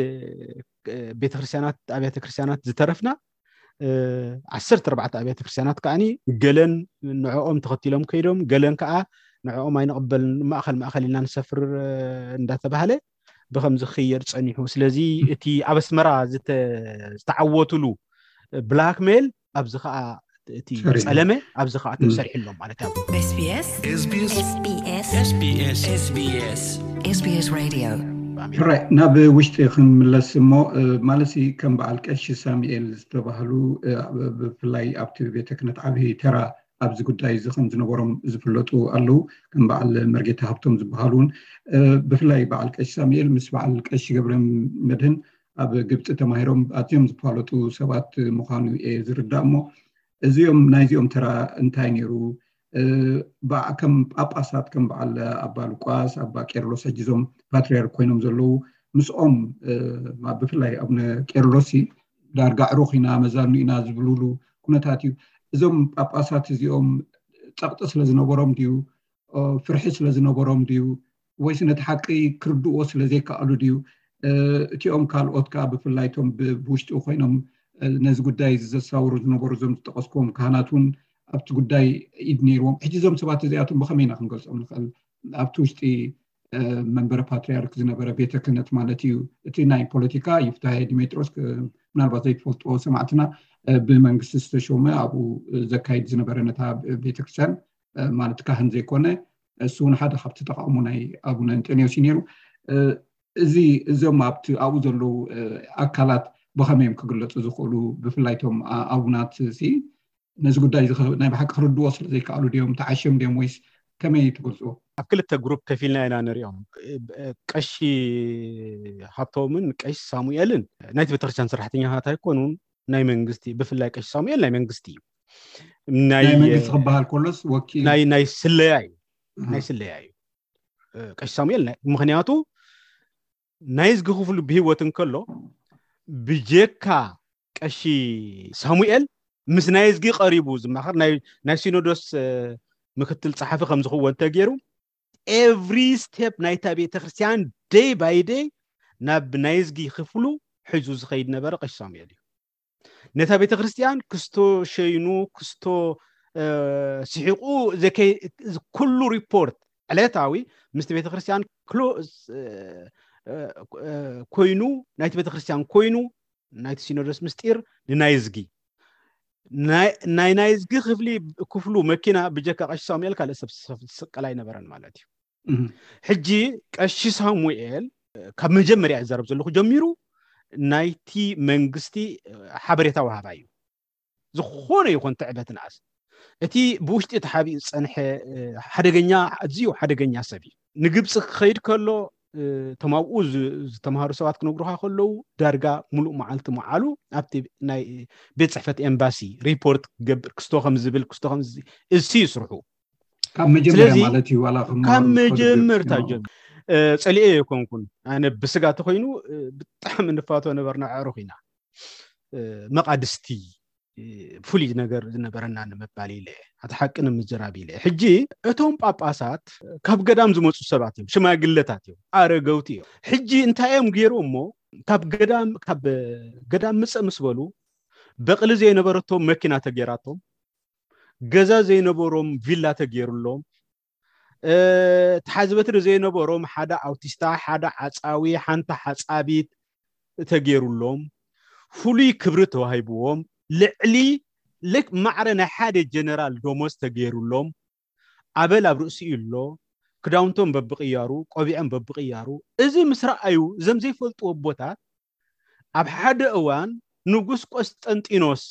እ፣ ቤተክርስትያናት ኣብያተ ክርስትያናት ዝተረፍና እ፣ ዓሰርተ ኣርባዕተ ኣብያተ ክርስትያናት ከዓኒ ገለን ንዕኦም ተኸቲሎም ከይዶም፣ ገለን ከዓ ንዕኦም ኣይንቕበልን፣ ማእኸል ማእኸል ኢልና ንሰፍር እ፣ እንዳተባህለ ብኸምዚ ክኽየድ ጸኒሑ። ስለዚ እቲ ኣብ ኣስመራ ዝተ- ዝተዓወቱሉ ብላክሜል ኣብዚ ከዓ እቲ ሰሪሑ። ጸለመ ኣብዚ ከዓ ም። ተሰሪሑ ኣሎ ማለት እዩ። SBS SBS SBS SBS SBS SBS Radio. ሕራይ ናብ ውሽጢ ክንምለስ እሞ፣ ማለሲ ከም በዓል ቀሺ ሳሙኤል ዝተባህሉ፣ ብፍላይ ኣብቲ ቤተ ክህነት ዓብዪ ተራ ኣብዚ ጉዳይ እዚ ከም ዝነበሮም ዝፍለጡ ኣለዉ። ከም በዓል መርጌታ ሃብቶም ዝበሃሉ እውን፣ ብፍላይ በዓል ቀሺ ሳሙኤል ምስ በዓል ቀሺ ገብረ መድህን ኣብ ግብፂ ተማሂሮም ኣዝዮም ዝፋለጡ ሰባት ምዃኑ እየ ዝርዳእ። እሞ እዚኦም ናይዚኦም ተራ እንታይ ነይሩ? ከም ጳጳሳት ከም በዓል ኣባ ሉቃስ፣ ኣባ ቄርሎስ፣ ሕጂ እዞም ፓትርያርክ ኮይኖም ዘለዉ፣ ምስኦም ብፍላይ ኣቡነ ቄርሎስ ዳርጋ ዕሩኽ ኢና፣ መዛኑ ኢና ዝብሉሉ ኩነታት እዩ። እዞም ጳጳሳት እዚኦም ጸቕጢ ስለ ዝነበሮም ድዩ? ፍርሒ ስለ ዝነበሮም ድዩ? ወይስ ነቲ ሓቂ ክርድእዎ ስለ ዘይከኣሉ ድዩ? እቲኦም ካልኦት ከኣ ብፍላይ እቶም ብውሽጢ ኮይኖም ነዚ ጉዳይ እዚ ዘሳውሩ ዝነበሩ እዞም ዝጠቐስክዎም ካህናት እውን ኣብቲ ጉዳይ ኢድ ነይርዎም። ሕጂ እዞም ሰባት እዚኣቶም ብኸመይ ኢና ክንገልጾም ንኽእል? ኣብቲ ውሽጢ መንበረ ፓትርያርክ ዝነበረ ቤተ ክህነት ማለት እዩ። እቲ ናይ ፖለቲካ ይፍታሄ ዲሜጥሮስ፣ ምናልባት ዘይትፈልጥዎ ሰማዕትና፣ ብመንግስቲ ዝተሾመ ኣብኡ ዘካይድ ዝነበረ ነታ ቤተክርስትያን ማለት ካህን ዘይኮነ፣ እሱ እውን ሓደ ካብቲ ተቃውሞ ናይ ኣቡነ እንጠንዮስ እዩ ነይሩ። እዚ እዞም ኣብቲ ኣብኡ ዘለዉ ኣካላት ብኸመይ እዮም ክግለፁ ዝኽእሉ? ብፍላይ እቶም ኣቡናት ሲ ነዚ ጉዳይ ናይ ብሓቂ ክርድዎ ስለ ዘይከኣሉ ድዮም ተዓሽዮም ድዮም ወይስ ከመይ ትገልፅዎ? ኣብ ክልተ ግሩፕ ከፊልና ኢና ንሪኦም። ቀሺ ሃብቶምን ቀሺ ሳሙኤልን ናይቲ ቤተክርስትያን ሰራሕተኛታት ኣይኮኑን፣ ናይ መንግስቲ፣ ብፍላይ ቀሺ ሳሙኤል ናይ መንግስቲ እዩ። ናይ መንግስቲ ክበሃል ከሎስ ወኪል ናይ ናይ ስለያ እዩ፣ ናይ ስለያ እዩ ቀሺ ሳሙኤል። ምክንያቱ ናይዝጊ ክፍሉ ብህይወት እንከሎ ብጀካ ቀሺ ሳሙኤል ምስ ናይዝጊ ቀሪቡ ዝማኸር ናይ ሲኖዶስ ምክትል ፀሓፊ ከም ዝኽወን ተገይሩ ኤቭሪ ስቴፕ ናይታ ቤተክርስትያን ደይ ባይ ደይ ናብ ናይዝጊ ክፍሉ ሒዙ ዝኸይድ ነበረ ቀሺ ሳሙኤል እዩ። ነታ ቤተክርስትያን ክስቶ ሸይኑ ክስቶ ስሒቁ ኩሉ ሪፖርት ዕለታዊ ምስቲ ቤተክርስትያን ኮይኑ ናይቲ ቤተክርስትያን ኮይኑ ናይቲ ሲኖዶስ ምስጢር ንናይዝጊ ናይ ናይዝጊ ክፍሊ ክፍሉ መኪና ብጀካ ቀሺ ሳሙኤል ካልእ ሰብ ዝስቀል ኣይነበረን ማለት እዩ። ሕጂ ቀሺ ሳሙኤል ካብ መጀመርያ ይዛረብ ዘለኹ ጀሚሩ ናይቲ መንግስቲ ሓበሬታ ወሃባ እዩ። ዝኾነ ይኹን ትዕበት ንኣስ እቲ ብውሽጢ ተሓቢኡ ዝፀንሐ ሓደገኛ ኣዝዩ ሓደገኛ ሰብ እዩ። ንግብፂ ክኸይድ ከሎ እቶም ኣብኡ ዝተምሃሩ ሰባት ክነግሩካ ከለዉ ዳርጋ ሙሉእ መዓልቲ መዓሉ ኣብቲ ናይ ቤት ፅሕፈት ኤምባሲ ሪፖርት ክገብር ክስቶ ከም ዝብል ክስቶ ከም እዚ እዩ ስርሑ። ካብ መጀመርያ ማለት እዩ ዋላ ከም ካብ መጀመርታ ጀምሩ ፀሊኤ የኮንኩን ኣነ ብስጋ ተኮይኑ ብጣዕሚ ንፋቶ ነበርና ኣዕሩኽ ኢና መቃድስቲ ፍሉይ ነገር ዝነበረና ንምባል ኢለ ኣቲ ሓቂ ንምዝራብ ኢለ ሕጂ እቶም ጳጳሳት ካብ ገዳም ዝመፁ ሰባት እዮም ሽማግለታት እዮም ኣረገውቲ እዮም ሕጂ እንታይ እዮም ገይሩ እሞ ካብ ገዳም ካብ ገዳም ምፀ ምስ በሉ በቕሊ ዘይነበረቶም መኪና ተገይራቶም ገዛ ዘይነበሮም ቪላ ተገይሩሎም ተሓዝበትሪ ዘይነበሮም ሓደ ኣውቲስታ ሓደ ዓፃዊ ሓንቲ ሓፃቢት ተገይሩሎም ፍሉይ ክብሪ ተዋሂብዎም ልዕሊ ልክ ማዕረ ናይ ሓደ ጀነራል ደሞዝ ተገይሩሎም ኣበል ኣብ ርእሲኡ ኣሎ ክዳውንቶም በብቅያሩ ቆቢዖም በብቅያሩ እዚ ምስ ረኣዩ እዞም ዘይፈልጥዎ ኣቦታት ኣብ ሓደ እዋን ንጉስ ቆስጠንጢኖስ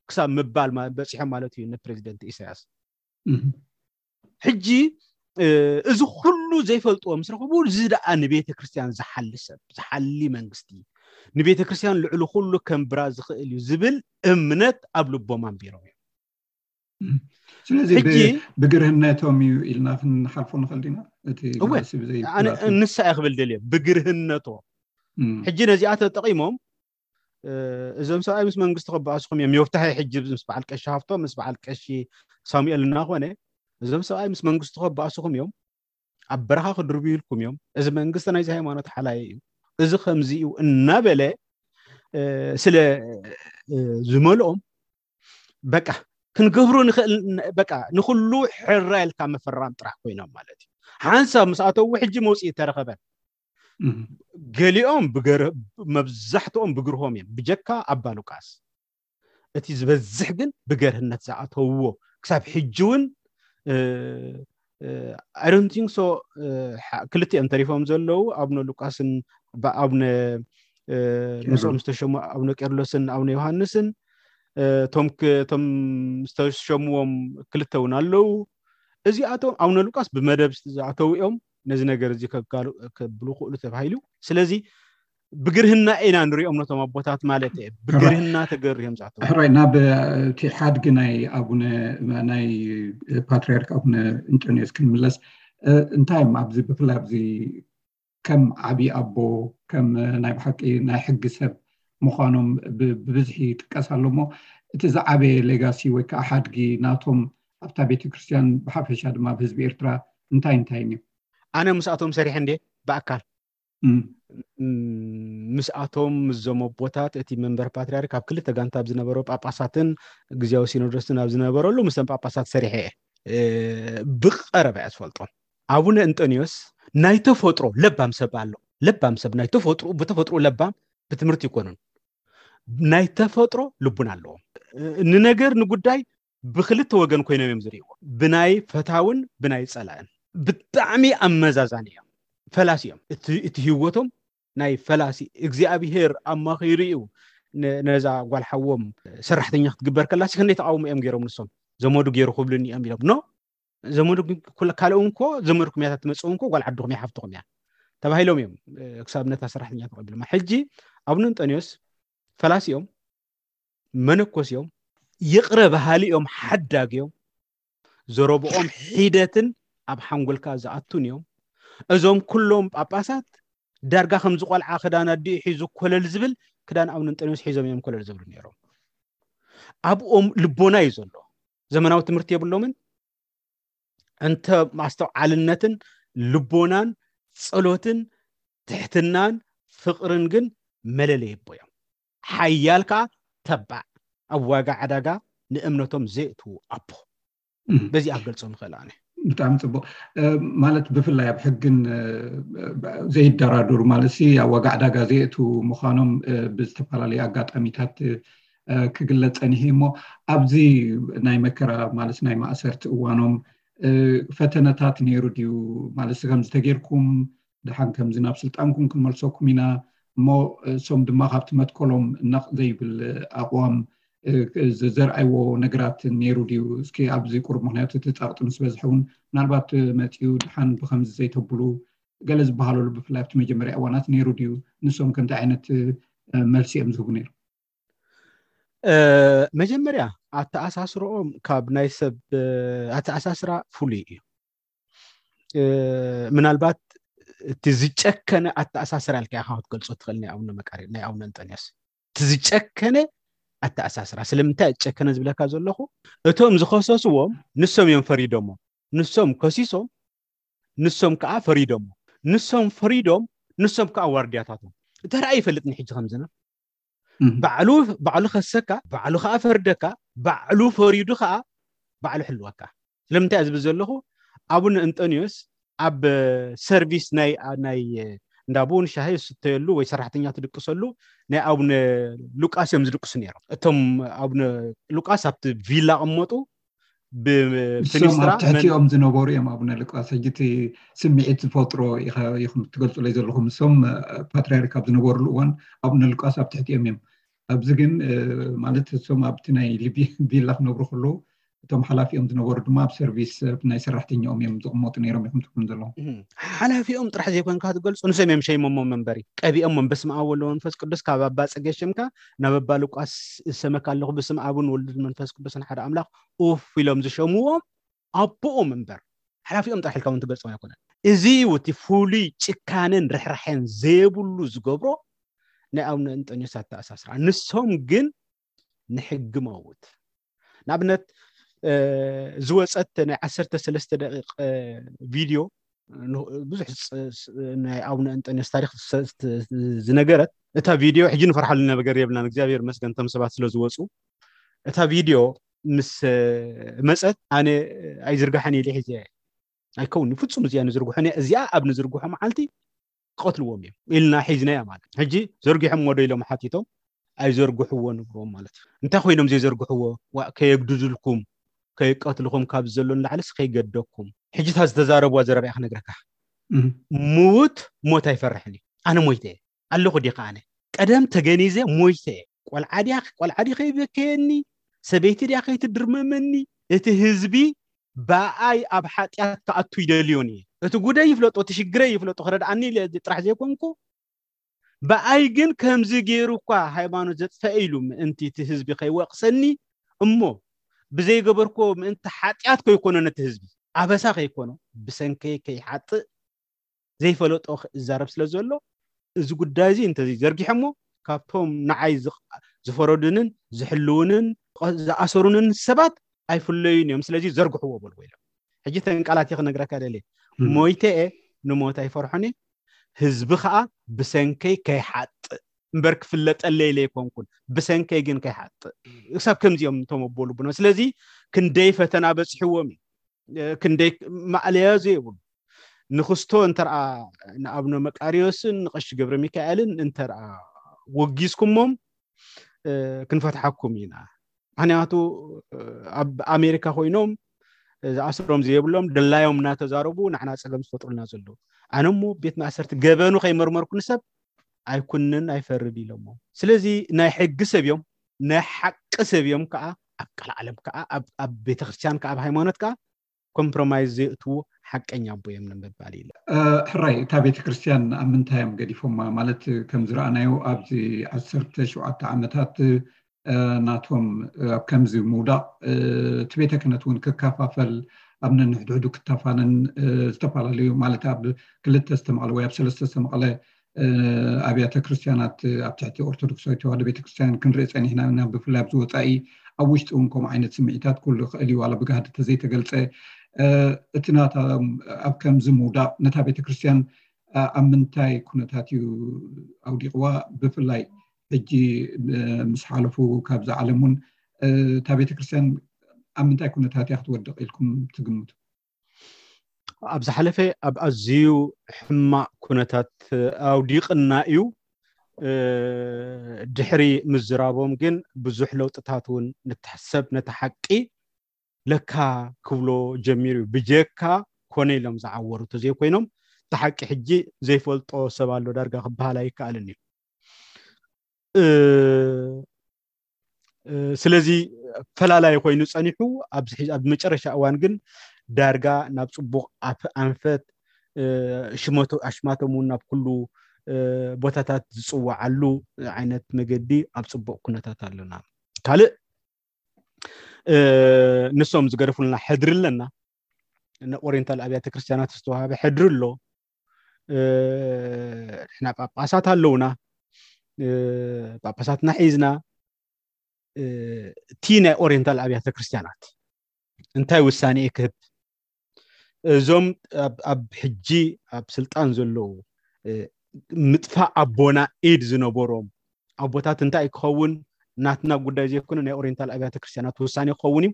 ክሳብ ምባል በፂሖም ማለት እዩ ንፕሬዚደንት ኢሳያስ ሕጂ እዚ ኩሉ ዘይፈልጥዎ ምስ ረኸቡ እዚ ደኣ ንቤተ ክርስትያን ዝሓሊ ሰብ ዝሓሊ መንግስቲ ንቤተ ክርስትያን ልዕሊ ኩሉ ከንብራ ዝኽእል እዩ ዝብል እምነት ኣብ ልቦም ኣንቢሮም እዮም ስለዚ ብግርህነቶም እዩ ኢልና ክንሓልፎ ንኽእል ዲና እቲ ንሳ እየ ክብል ደልየ ብግርህነቶም ሕጂ ነዚኣ ተጠቂሞም እዞም ሰብኣይ ምስ መንግስቲ ክበኣስኹም እዮም ዮፍታሐ ሕጂ ምስ በዓል ቀሺ ሃፍቶም ምስ በዓል ቀሺ ሳሙኤል እናኾነ እዞም ሰብኣይ ምስ መንግስቲ ክበኣስኹም እዮም ኣብ በረኻ ክድርብዩልኩም እዮም እዚ መንግስቲ ናይዚ ሃይማኖት ሓላይ እዩ እዚ ከምዚ እዩ እናበለ ስለ ዝመልኦም በቃ ክንገብሮ ንኽእል በቃ ንኩሉ ሕራ ኢልካ ምፍራም ጥራሕ ኮይኖም ማለት እዩ ሓንሳብ ምስ ኣተዉ ሕጂ መውፅኢ ተረኸበ ገሊኦም መብዛሕትኦም ብግርሆም እዮም ብጀካ ኣባ ሉቃስ እቲ ዝበዝሕ ግን ብገርህነት ዝኣተውዎ ክሳብ ሕጂ እውን I don't think so። ክልቲኦም ተሪፎም ዘለዉ ኣቡነ ሉቃስን ኣቡነ ምስኦም ዝተሸሙ ኣቡነ ቄርሎስን ኣቡነ ዮሃንስን፣ እቶም ዝተሸምዎም ክልተ እውን ኣለዉ። እዚኣቶም ኣቡነ ሉቃስ ብመደብ ዝኣተዉ እዮም። ነዚ ነገር እዚ ከብሉ ክእሉ ተባሂሉ። ስለዚ ብግርህና ኢና ንሪኦም ነቶም ኣቦታት ማለት እየ። ብግርህና ተገርዮም ዝኣተዉ። ሕራይ ናብ እቲ ሓድጊ ናይ ኣቡነ ናይ ፓትርያርክ ኣቡነ እንጠንዮስ ክንምለስ፣ እንታይ እዮም ኣብዚ ብፍላይ ኣብዚ ከም ዓብዪ ኣቦ፣ ከም ናይ ብሓቂ ናይ ሕጊ ሰብ ምዃኖም ብብዝሒ ይጥቀስ ኣሎ እሞ፣ እቲ ዝዓበየ ሌጋሲ ወይ ከዓ ሓድጊ ናቶም ኣብታ ቤተ ክርስቲያን ብሓፈሻ ድማ ኣብ ህዝቢ ኤርትራ እንታይ እንታይ እዩ? ኣነ ምስኣቶም ሰሪሐ እንዴ ብኣካል ምስኣቶም ምስዞም ኣቦታት እቲ መንበር ፓትርያርክ ኣብ ክልተ ጋንታ ኣብ ዝነበሮ ጳጳሳትን ግዜያዊ ሲኖዶስን ኣብ ዝነበረሉ ምስቶም ጳጳሳት ሰሪሐ እየ። ብቐረባ እያ ዝፈልጦም። ኣቡነ እንጠንዮስ ናይ ተፈጥሮ ለባም ሰብ ኣሎ። ለባም ሰብ ናይ ተፈጥሮ ብተፈጥሮ ለባም ብትምህርቲ ይኮኑን ናይ ተፈጥሮ ልቡና ኣለዎም። ንነገር ንጉዳይ ብክልተ ወገን ኮይኖም እዮም ዝርእይዎ። ብናይ ፈታውን ብናይ ጸላእን። ብጣዕሚ ኣመዛዛኒ እዮም። ፈላሲ እዮም። እቲ ህይወቶም ናይ ፈላሲ እግዚኣብሄር ኣማኺሩ እዩ ነዛ ጓል ሓዎም ሰራሕተኛ ክትግበር ከላሲ ክንደይ ተቃውሞ እዮም ገይሮም ንሶም። ዘመዱ ገይሩ ክብሉኒ እዮም ኢሎም። ኖ ዘመዱ ካልኦም እኮ ዘመድኩም እያ ትመፅእ እኮ ጓል ዓድኹም እያ ሓፍትኹም እያ ተባሂሎም እዮም ክሳብ ነታ ሰራሕተኛ ተቐቢሎም። ሕጂ ኣቡነ እንጠንዮስ ፈላሲ እዮም፣ መነኮስ እዮም፣ ይቕረ በሃሊ እዮም፣ ሓዳግ እዮም። ዘረብኦም ሒደትን ኣብ ሓንጎልካ ዝኣቱን እዮም። እዞም ኩሎም ጳጳሳት ዳርጋ ከምዚ ቆልዓ ክዳን ኣዲኡ ሒዙ ኮለል ዝብል ክዳን ኣቡነ እንጠንዮስ ሒዞም እዮም ኮለል ዝብሉ ነይሮም። ኣብኦም ልቦና እዩ ዘሎ። ዘመናዊ ትምህርቲ የብሎምን። እንተ ማስተውዓልነትን ልቦናን ጸሎትን ትሕትናን ፍቕርን ግን መለለይ ኣቦ እዮም። ሓያል ከዓ ተባዕ ኣብ ዋጋ ዕዳጋ ንእምነቶም ዘእትዉ ኣቦ። በዚኣ ክገልጾም ይኽእል ኣነ። ብጣዕሚ ጽቡቕ። ማለት ብፍላይ ኣብ ሕግን ዘይደራደሩ ማለት ሲ ኣብ ዋጋ ዕዳጋ ዘእትዉ ምዃኖም ብዝተፈላለዩ ኣጋጣሚታት ክግለጽ ጸኒሑ እሞ ኣብዚ ናይ መከራ ማለት ናይ ማእሰርቲ እዋኖም ፈተነታት ነይሩ ድዩ? ማለት ከምዚ ተጌርኩም ደሓን ከምዚ ናብ ስልጣንኩም ክንመልሰኩም ኢና እሞ እሶም ድማ ካብቲ መትከሎም ነቕ ዘይብል ኣቕዋም ዘርኣይዎ ነገራት ነይሩ ድዩ? እስኪ ኣብዚ ቁሩብ ምክንያቱ እቲ ጸቕጢ ምስ በዝሐ እውን ምናልባት መጺኡ ደሓን ብከምዚ ዘይተብሉ ገለ ዝበሃለሉ ብፍላይ ኣብቲ መጀመርያ እዋናት ነይሩ ድዩ? ንሶም ከ እንታይ ዓይነት መልሲ እዮም ዝህቡ ነይሩ? መጀመርያ ኣተኣሳስርኦም ካብ ናይ ሰብ ኣተኣሳስራ ፍሉይ እዩ። ምናልባት እቲ ዝጨከነ ኣተኣሳስራ ኢልካ ኢኻ ክትገልጾ ትኽእል ናይ ኣቡነ መቃርዮስ ናይ ኣቡነ እንጠንዮስ እቲ ዝጨከነ ኣተኣሳስራ። ስለምንታይ ዝጨከነ ዝብለካ ዘለኹ እቶም ዝኸሰስዎም ንሶም እዮም ፈሪዶሞ። ንሶም ከሲሶም ንሶም ከዓ ፈሪዶሞ። ንሶም ፈሪዶም ንሶም ከዓ ዋርድያታቶም። ተራእዩ ይፈልጥ ንሕጂ ከምዝና ባዕሉ ባዕሉ ከሰካ ባዕሉ ከዓ ፈርደካ ባዕሉ ፈሪዱ ከዓ ባዕሉ ሕልወካ። ስለምንታይ ዝብል ዘለኹ ኣቡነ እንጠንዮስ ኣብ ሰርቪስ ናይ ናይ እንዳ ቡን ሻሂ ዝስተየሉ ወይ ሰራሕተኛ ትድቅሰሉ ናይ ኣቡነ ሉቃስ እዮም ዝድቅሱ ነይሮም። እቶም ኣቡነ ሉቃስ ኣብቲ ቪላ ቅመጡ ብፍኒስትራ ኣብ ትሕቲኦም ዝነበሩ እዮም ኣቡነ ሉቃስ። ሕጂ እቲ ስምዒት ዝፈጥሮ ኢኹም ትገልፁለይ ዘለኹም። እሶም ፓትሪያርክ ኣብ ዝነበሩሉ እዋን ኣቡነ ሉቃስ ኣብ ትሕቲኦም እዮም። ኣብዚ ግን ማለት እሶም ኣብቲ ናይ ቪላ ክነብሩ ከለዉ እቶም ሓላፊኦም ዝነበሩ ድማ ኣብ ሰርቪስ ናይ ሰራሕተኛኦም እዮም ዝቕመጡ ነይሮም ኢኹም ትብሉም ዘለኹም። ሓላፊኦም ጥራሕ ዘይኮንካ ትገልፁ ንሶም እዮም ሸይሞሞም መንበሪ ቀቢኦሞም በስመ ኣብ ወወልድ ወመንፈስ ቅዱስ ካብ ኣባ ፅጌ ሸምካ ናብ ኣባ ሉቃስ እሰመካ ኣለኹ ብስም ኣብን ወልድን መንፈስ ቅዱስን ሓደ ኣምላኽ ኡፍ ኢሎም ዝሸምዎም ኣቦኦም እምበር ሓላፊኦም ጥራሕ ኢልካ እውን ትገልፆም ኣይኮነን። እዚ እዩ እቲ ፍሉይ ጭካነን ርሕራሐን ዘይብሉ ዝገብሮ ናይ ኣቡነ እንጠንዮስ ኣተኣሳስራ። ንሶም ግን ንሕጊ መውት ንኣብነት ዝወፀት ናይ ዓሰርተ ሰለስተ ደቂቕ ቪድዮ ብዙሕ ናይ ኣቡነ እንጠንዮስ ታሪክ ዝነገረት እታ ቪድዮ ሕጂ ንፈርሓሉ ነገር የብልናን። እግዚኣብሔር መስገን እቶም ሰባት ስለ ዝወፁ እታ ቪድዮ ምስ መፀት ኣነ ኣይዝርጋሕን ኢለ ሒዘ ኣይከውን ፍፁም እዚኣ ንዝርግሖ እዚኣ ኣብ ንዝርግሖ መዓልቲ ክቐትልዎም እዮም ኢልና ሒዝናያ ማለት ሕጂ ዘርጊሖም ወዶ ኢሎም ሓቲቶም ኣይዘርግሕዎ ንብሎም ማለት እዩ። እንታይ ኮይኖም ዘይዘርግሕዎ ከየግድድልኩም ከየቀትልኹም ካብ ዘሎ ንላዕልስ ከይገደኩም ሕጂ እታ ዝተዛረብዋ ዘረባ እያ ክነግረካ። ምውት ሞት ኣይፈርሕን እዩ። ኣነ ሞይተ እየ ኣለኹ ዲኻ? ኣነ ቀደም ተገኒዘ ሞይተ እየ። ቆልዓ ድያ ቆልዓ ዲኸ ይበከየኒ፣ ሰበይቲ ድያ ከይትድርመመኒ። እቲ ህዝቢ ብኣይ ኣብ ሓጢኣት ክኣቱ ይደልዮን እየ። እቲ ጉደይ ይፍለጦ፣ እቲ ሽግረይ ይፍለጦ፣ ክረድኣኒ ኢለ ጥራሕ ዘይኮንኩ ብኣይ ግን ከምዚ ገይሩ እኳ ሃይማኖት ዘጥፈአ ኢሉ ምእንቲ እቲ ህዝቢ ከይወቕሰኒ እሞ ብዘይገበርኮ ምእንቲ ሓጢኣት ከይኮኖ ነቲ ህዝቢ ኣበሳ ከይኮኖ ብሰንከይ ከይሓጥእ ዘይፈለጦ ክዛረብ ስለ ዘሎ እዚ ጉዳይ እዚ እንተዘይ ዘርጊሐሞ ካብቶም ንዓይ ዝቕ- ዝፈረዱንን ዝሕልውንን ዝኣሰሩንን ሰባት ኣይፍለዩን እዮም። ስለዚ ዘርግሕዎ በልዎ ኢሎም። ሕጂ ተንቃላት ክነግረካ ደልየ ሞይተ እየ ንሞት ኣይፈርሖን እየ። ህዝቢ ከዓ ብሰንከይ ከይሓጥእ እምበር ክፍለጠለይ ኢለ ኣይኮንኩን፣ ብሰንከይ ግን ከይሓጥእ ክሳብ ከምዚኦም እቶም ኣቦ ልቡና። ስለዚ ክንደይ ፈተና በፂሕዎም እዩ፣ ክንደይ ማእለያ ዘይብሉ ንክስቶ እንተርኣ ንኣብነ መቃሪዮስን ንቀሺ ገብረ ሚካኤልን እንተርኣ ወጊዝኩሞም ክንፈትሓኩም ኢና። ምክንያቱ ኣብ ኣሜሪካ ኮይኖም ዝኣስሮም ዘይብሎም ድላዮም እናተዛረቡ ንዓና ፀገም ዝፈጥሩልና ዘለዉ። ኣነ እሞ ቤት ማእሰርቲ ገበኑ ከይመርመርኩ ንሰብ ኣይኩንን ኣይፈርድ ኢሎሞ። ስለዚ ናይ ሕጊ ሰብ እዮም፣ ናይ ሓቂ ሰብ እዮም ከዓ ኣብ ቃል ዓለም ከዓ ኣብ ቤተክርስትያን ከዓ ኣብ ሃይማኖት ከዓ ኮምፕሮማይዝ ዘይእትዉ ሓቀኛ ኣቦ እዮም ንምባል ኢለ። ሕራይ እታ ቤተክርስትያን ኣብ ምንታይ እዮም ገዲፎማ? ማለት ከም ዝረኣናዮ ኣብዚ ዓሰርተ ሸውዓተ ዓመታት ናቶም ኣብ ከምዚ ምውዳቕ እቲ ቤተ ክህነት እውን ክከፋፈል ኣብ ነንሕድሕዱ ክተፋነን ዝተፈላለዩ ማለት ኣብ ክልተ ዝተመቐለ ወይ ኣብ ሰለስተ ዝተመቐለ ኣብያተ ክርስትያናት ኣብ ትሕቲ ኦርቶዶክሳዊ ተዋህዶ ቤተክርስትያን ክንርኢ ፀኒሕና ኢና። ብፍላይ ኣብዚ ወፃኢ ኣብ ውሽጢ እውን ከምኡ ዓይነት ስምዒታት ኩሉ ይኽእል እዩ ዋላ ብጋህዲ ተዘይተገልፀ እቲ ናታ ኣብ ከምዚ ምውዳቕ ነታ ቤተክርስትያን ኣብ ምንታይ ኩነታት እዩ ኣውዲቕዋ? ብፍላይ ሕጂ ምስ ሓለፉ ካብዚ ዓለም እውን እታ ቤተክርስትያን ኣብ ምንታይ ኩነታት እያ ክትወድቕ ኢልኩም ትግምቱ? ኣብ ዝሓለፈ ኣብ ኣዝዩ ሕማቕ ኩነታት ኣውዲቕና እዩ። ድሕሪ ምዝራቦም ግን ብዙሕ ለውጥታት እውን ንትሕሰብ ነቲ ሓቂ ለካ ክብሎ ጀሚሩ እዩ። ብጀካ ኮነ ኢሎም ዝዓወሩ ተዘይኮይኖም እቲ ሓቂ ሕጂ ዘይፈልጦ ሰብ ኣሎ ዳርጋ ክበሃል ኣይከኣልን እዩ። ስለዚ ፈላላይ ኮይኑ ፀኒሑ ኣብ መጨረሻ እዋን ግን ዳርጋ ናብ ፅቡቕ ኣንፈት ሽመቶ ኣሽማቶም እውን ናብ ኩሉ ቦታታት ዝፅወዓሉ ዓይነት መገዲ ኣብ ፅቡቕ ኩነታት ኣለና። ካልእ ንሶም ዝገደፉልና ሕድሪ ኣለና። ንኦሪየንታል ኣብያተ ክርስትያናት ዝተዋሃበ ሕድሪ ኣሎ። ንሕና ጳጳሳት ኣለውና። ጳጳሳትና ሒዝና እቲ ናይ ኦሪየንታል ኣብያተ ክርስትያናት እንታይ ውሳኔ ክህብ እዞም ኣብ ሕጂ ኣብ ስልጣን ዘለዉ ምጥፋእ ኣቦና ኢድ ዝነበሮም ኣቦታት እንታይ ክኸውን ናትና ጉዳይ ዘይኮነ ናይ ኦሪየንታል ኣብያተ ክርስትያናት ውሳኔ ክኸውን እዩ።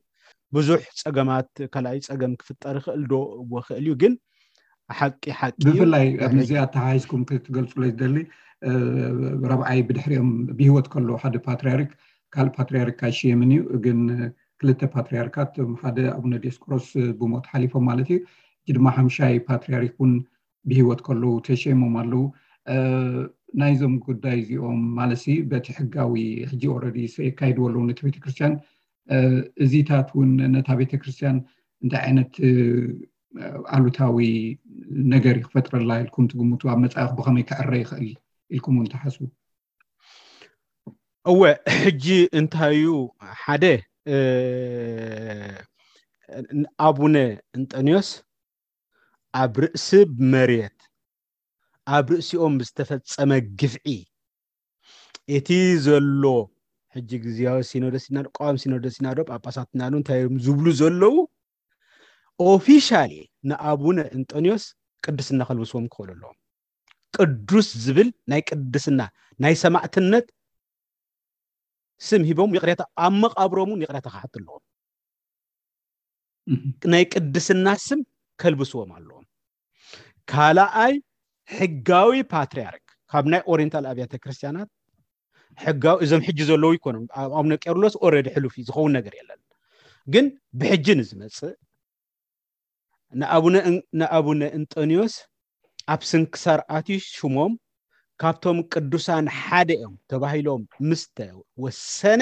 ብዙሕ ፀገማት ካልኣይ ፀገም ክፍጠር ይኽእል ዶ ክእል እዩ ግን ሓቂ ሓቂ እዩ። ብፍላይ ኣብ ምዚ ኣተሓሒዝኩም ክትገልፁለይ ዝደሊ ረብዓይ ብድሕሪኦም ብሂወት ከሎ ሓደ ፓትሪያርክ ካልእ ፓትሪያርክ ኣይሽየምን እዩ ግን ክልተ ፓትሪያርካት ሓደ ኣቡነ ዲዮስቆሮስ ብሞት ሓሊፎም ማለት እዩ። ሕጂ ድማ ሓምሻይ ፓትሪያርክ እውን ብሂወት ከለዉ ተሸይሞም ኣለዉ። ናይዞም ጉዳይ እዚኦም ማለት በቲ ሕጋዊ ሕጂ ኦረዲ የካይድዎ ኣለዉ ነቲ ቤተክርስትያን እዚታት እውን ነታ ቤተክርስትያን እንታይ ዓይነት ኣሉታዊ ነገር እዩ ክፈጥረላ ኢልኩም ትግምቱ? ኣብ መፃኢኹ ብኸመይ ክዕረ ይኽእል ኢልኩም እውን ትሓስቡ? እወ ሕጂ እንታይ እዩ ሓደ ኣቡነ እንጠንዮስ ኣብ ርእሲ መሬት ኣብ ርእሲኦም ብዝተፈጸመ ግፍዒ እቲ ዘሎ ሕጂ ግዝያዊ ሲኖዶስ ኢና ዶ ቀዋሚ ሲኖዶስ ኢና ዶ ጳጳሳት ኢና ዶ እንታይ እዮም ዝብሉ ዘለዉ ኦፊሻሊ ንኣቡነ እንጠንዮስ ቅድስና ከልብስዎም ክኽእሉ ኣለዎም። ቅዱስ ዝብል ናይ ቅድስና ናይ ሰማዕትነት ስም ሂቦም ይቕሬታ ኣብ መቃብሮም እውን ይቕሬታ ክሓቱ ኣለዎም። ናይ ቅድስና ስም ከልብስዎም ኣለዎም። ካልኣይ ሕጋዊ ፓትሪያርክ ካብ ናይ ኦሪንታል ኣብያተ ክርስቲያናት ሕጋዊ እዞም ሕጂ ዘለዉ ይኮኖም። ኣቡነ ቄርሎስ ኦረዲ ሕሉፍ እዩ ዝኸውን ነገር የለን። ግን ብሕጂ ንዝመፅእ ንኣቡነ እን- ንኣቡነ እንጠንዮስ ኣብ ስንክሳር ኣትዩ ሽሞም ካብቶም ቅዱሳን ሓደ እዮም ተባሂሎም ምስ ተወሰነ፣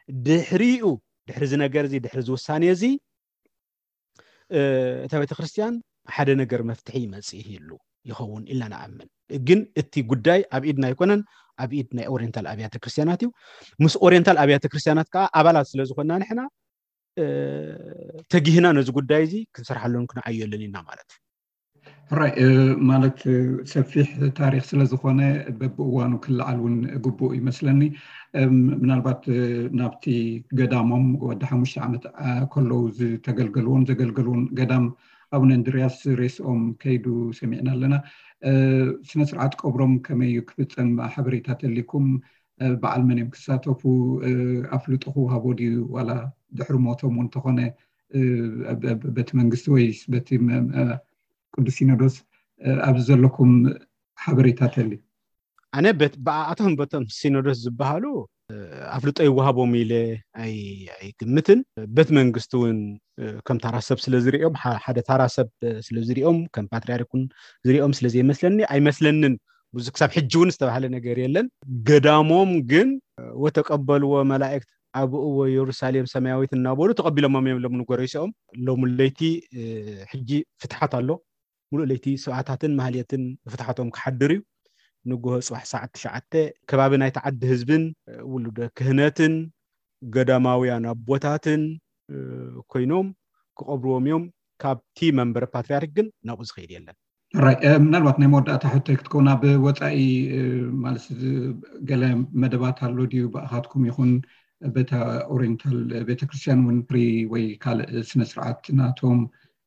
ድሕሪኡ፣ ድሕሪ እዚ ነገር እዚ፣ ድሕሪ እዚ ውሳኔ እዚ፣ እ፣ እታ ቤተክርስትያን ሓደ ነገር መፍትሒ ይመጽእ ይህሉ ይኸውን ኢልና ንኣምን። ግን እቲ ጉዳይ ኣብ ኢድና ኣይኮነን፣ ኣብ ኢድ ናይ ኦሪየንታል ኣብያተ ክርስትያናት እዩ። ምስ ኦሪየንታል ኣብያተ ክርስትያናት ከዓ ኣባላት ስለ ዝኾንና ንሕና፣ እ፣ ተጊህና ነዚ ጉዳይ እዚ ክንሰርሓሉን ክንዓየሉን ኢና ማለት እዩ። ሕራይ፣ እ፣ ማለት፣ እ፣ ሰፊሕ ታሪኽ ስለ ዝኾነ በብእዋኑ ክለዓል እውን ግቡእ ይመስለኒ። እም፣ ምናልባት፣ እ፣ ናብቲ ገዳሞም ወዲ ሓሙሽተ ዓመት፣ እ፣ ከለዉ ዝተገልገልዎን ዘገልገልዎን ገዳም ኣቡነ እንድርያስ ሬስኦም ከይዱ ሰሚዕና ኣለና። እ፣ ስነ ስርዓት ቀብሮም ከመይ እዩ ክፍጸም ሓበሬታ ተሊኩም? እ፣ በዓል መን እዮም ክሳተፉ? እ፣ ኣፍልጦ ክወሃቦ ድዩ? ዋላ ድሕሪ ሞቶም እውን እንተኾነ፣ እ፣ ብ-፣ ብ-፣ በቲ መንግስቲ ወይስ በቲ መ-፣ እ፣ ቅዱስ ሲኖዶስ፣ እ፣ ኣብዚ ዘለኩም ሓበሬታ ተሊ? ኣነ በት-፣ ብኣቶም በቶም ሲኖዶስ ዝበሃሉ፣ እ፣ ኣፍልጦ ይወሃቦም ኢለ ኣይ-፣ ኣይግምትን። በት መንግስቲ እውን፣ እ፣ ከም ታራ ሰብ ስለ ዝሪኦም፣ ሓ-፣ ሓደ ታራ ሰብ፣ እ፣ ስለ ዝሪኦም፣ ከም ፓትርያርክ እውን ዝሪኦም ስለ ዘይመስለኒ፣ ኣይመስለንን። ብዙ ክሳብ ሕጂ እውን ዝተባህለ ነገር የለን። ገዳሞም ግን፣ እ፣ ወተቀበልዎ መላእክት ኣቡኡ ወየሩሳሌም ሰማያዊት እናበሉ ተቐቢሎሞም እዮም። ሎም ንጎረይሶም ሎም ለይቲ፣ እ፣ ሕጂ ፍትሓት ኣሎ። ሙሉእ ለይቲ ስብዓታትን ማህሌትን ፍትሓቶም ክሓድር እዩ። ንግሆ ጽባሕ ሰዓት ትሽዓተ ከባቢ ናይቲ ዓዲ ህዝብን፣ እ፣ ውሉደ ክህነትን ገዳማውያን ኣቦታትን፣ እ፣ ኮይኖም ክቐብርዎም እዮም። ካብቲ መንበረ ፓትርያርክ ግን ናብኡ ዝኸይድ የለን። ሕራይ፣ እ፣ ምናልባት ናይ መወዳእታ ሕቶይ ክትከውን፣ ኣብ ወጻኢ፣ እ፣ ማለት፣ እ፣ ገለ መደባት ኣሎ ድዩ? ብኣኻትኩም ይኹን በታ ኦሪየንታል ቤተክርስትያን እውን ፍሪ ወይ ካልእ ስነ ስርዓት ናቶም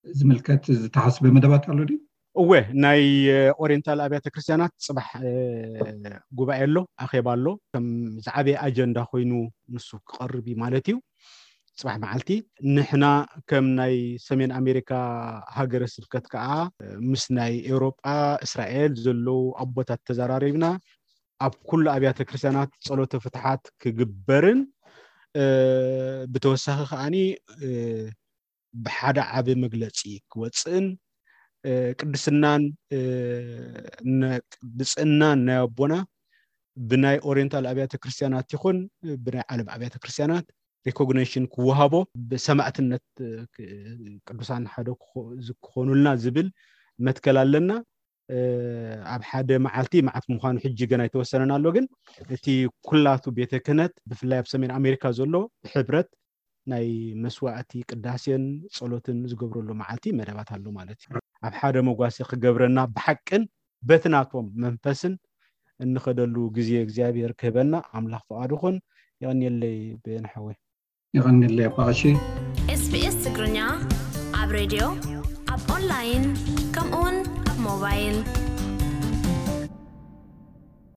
ዝምልከት ዝተሓስበ መደባት ኣሎ ድዩ? እወ፣ ናይ፣ እ፣ ኦሪየንታል ኣብያተ ክርስትያናት ጽባሕ፣ እ፣ ጉባኤ ኣሎ፣ ኣኼባ ኣሎ። ከም ዝዓበየ ኣጀንዳ ኮይኑ ንሱ ክቐርብ እዩ ማለት እዩ። ጽባሕ መዓልቲ ንሕና ከም ናይ ሰሜን ኣሜሪካ ሃገረ ስብከት ከኣ፣ እ፣ ምስ ናይ ኤውሮጳ፣ እስራኤል ዘለዉ ኣቦታት ተዘራሪብና ኣብ ኩሉ ኣብያተ ክርስትያናት ጸሎተ ፍትሓት ክግበርን፣ እ፣ ብተወሳኺ ከኣኒ፣ እ፣ ብሓደ ዓቢ መግለጺ ክወጽእን፣ እ፣ ቅድስናን፣ እ፣ ነ-፣ ብጽእናን ናይ ኣቦና ብናይ ኦሪየንታል ኣብያተ ክርስትያናት ይኹን ብናይ ዓለም ኣብያተ ክርስትያናት ሪኮግኒሽን ክወሃቦ፣ ብሰማዕትነት፣ እ፣ ክ-፣ ቅዱሳን ሓደ ክኾ-፣ ዝ-፣ ክኾኑልና ዝብል መትከል ኣለና። እ፣ ኣብ ሓደ መዓልቲ መዓት ምዃኑ ሕጂ ገና ኣይተወሰነን ኣሎ፣ ግን እቲ ኩላቱ ቤተ ክህነት ብፍላይ ኣብ ሰሜን ኣሜሪካ ዘሎ ብሕብረት ናይ መስዋዕቲ ቅዳሴን ጸሎትን ዝገብረሉ መዓልቲ መደባት ኣሎ ማለት እዩ። ኣብ ሓደ መጓሰ ክገብረና ብሓቅን በቲ ናቶም መንፈስን እንኸደሉ ግዜ እግዚኣብሔር ክህበና ኣምላኽ ፍቓዱ ይኹን። የቐንየለይ በየነ ሓወይ። የቐንየለይ ኣባ ቀሺ። ኤስቢኤስ ትግርኛ ኣብ ሬድዮ፣ ኣብ ኦንላይን፣ ከምኡውን ኣብ ሞባይል።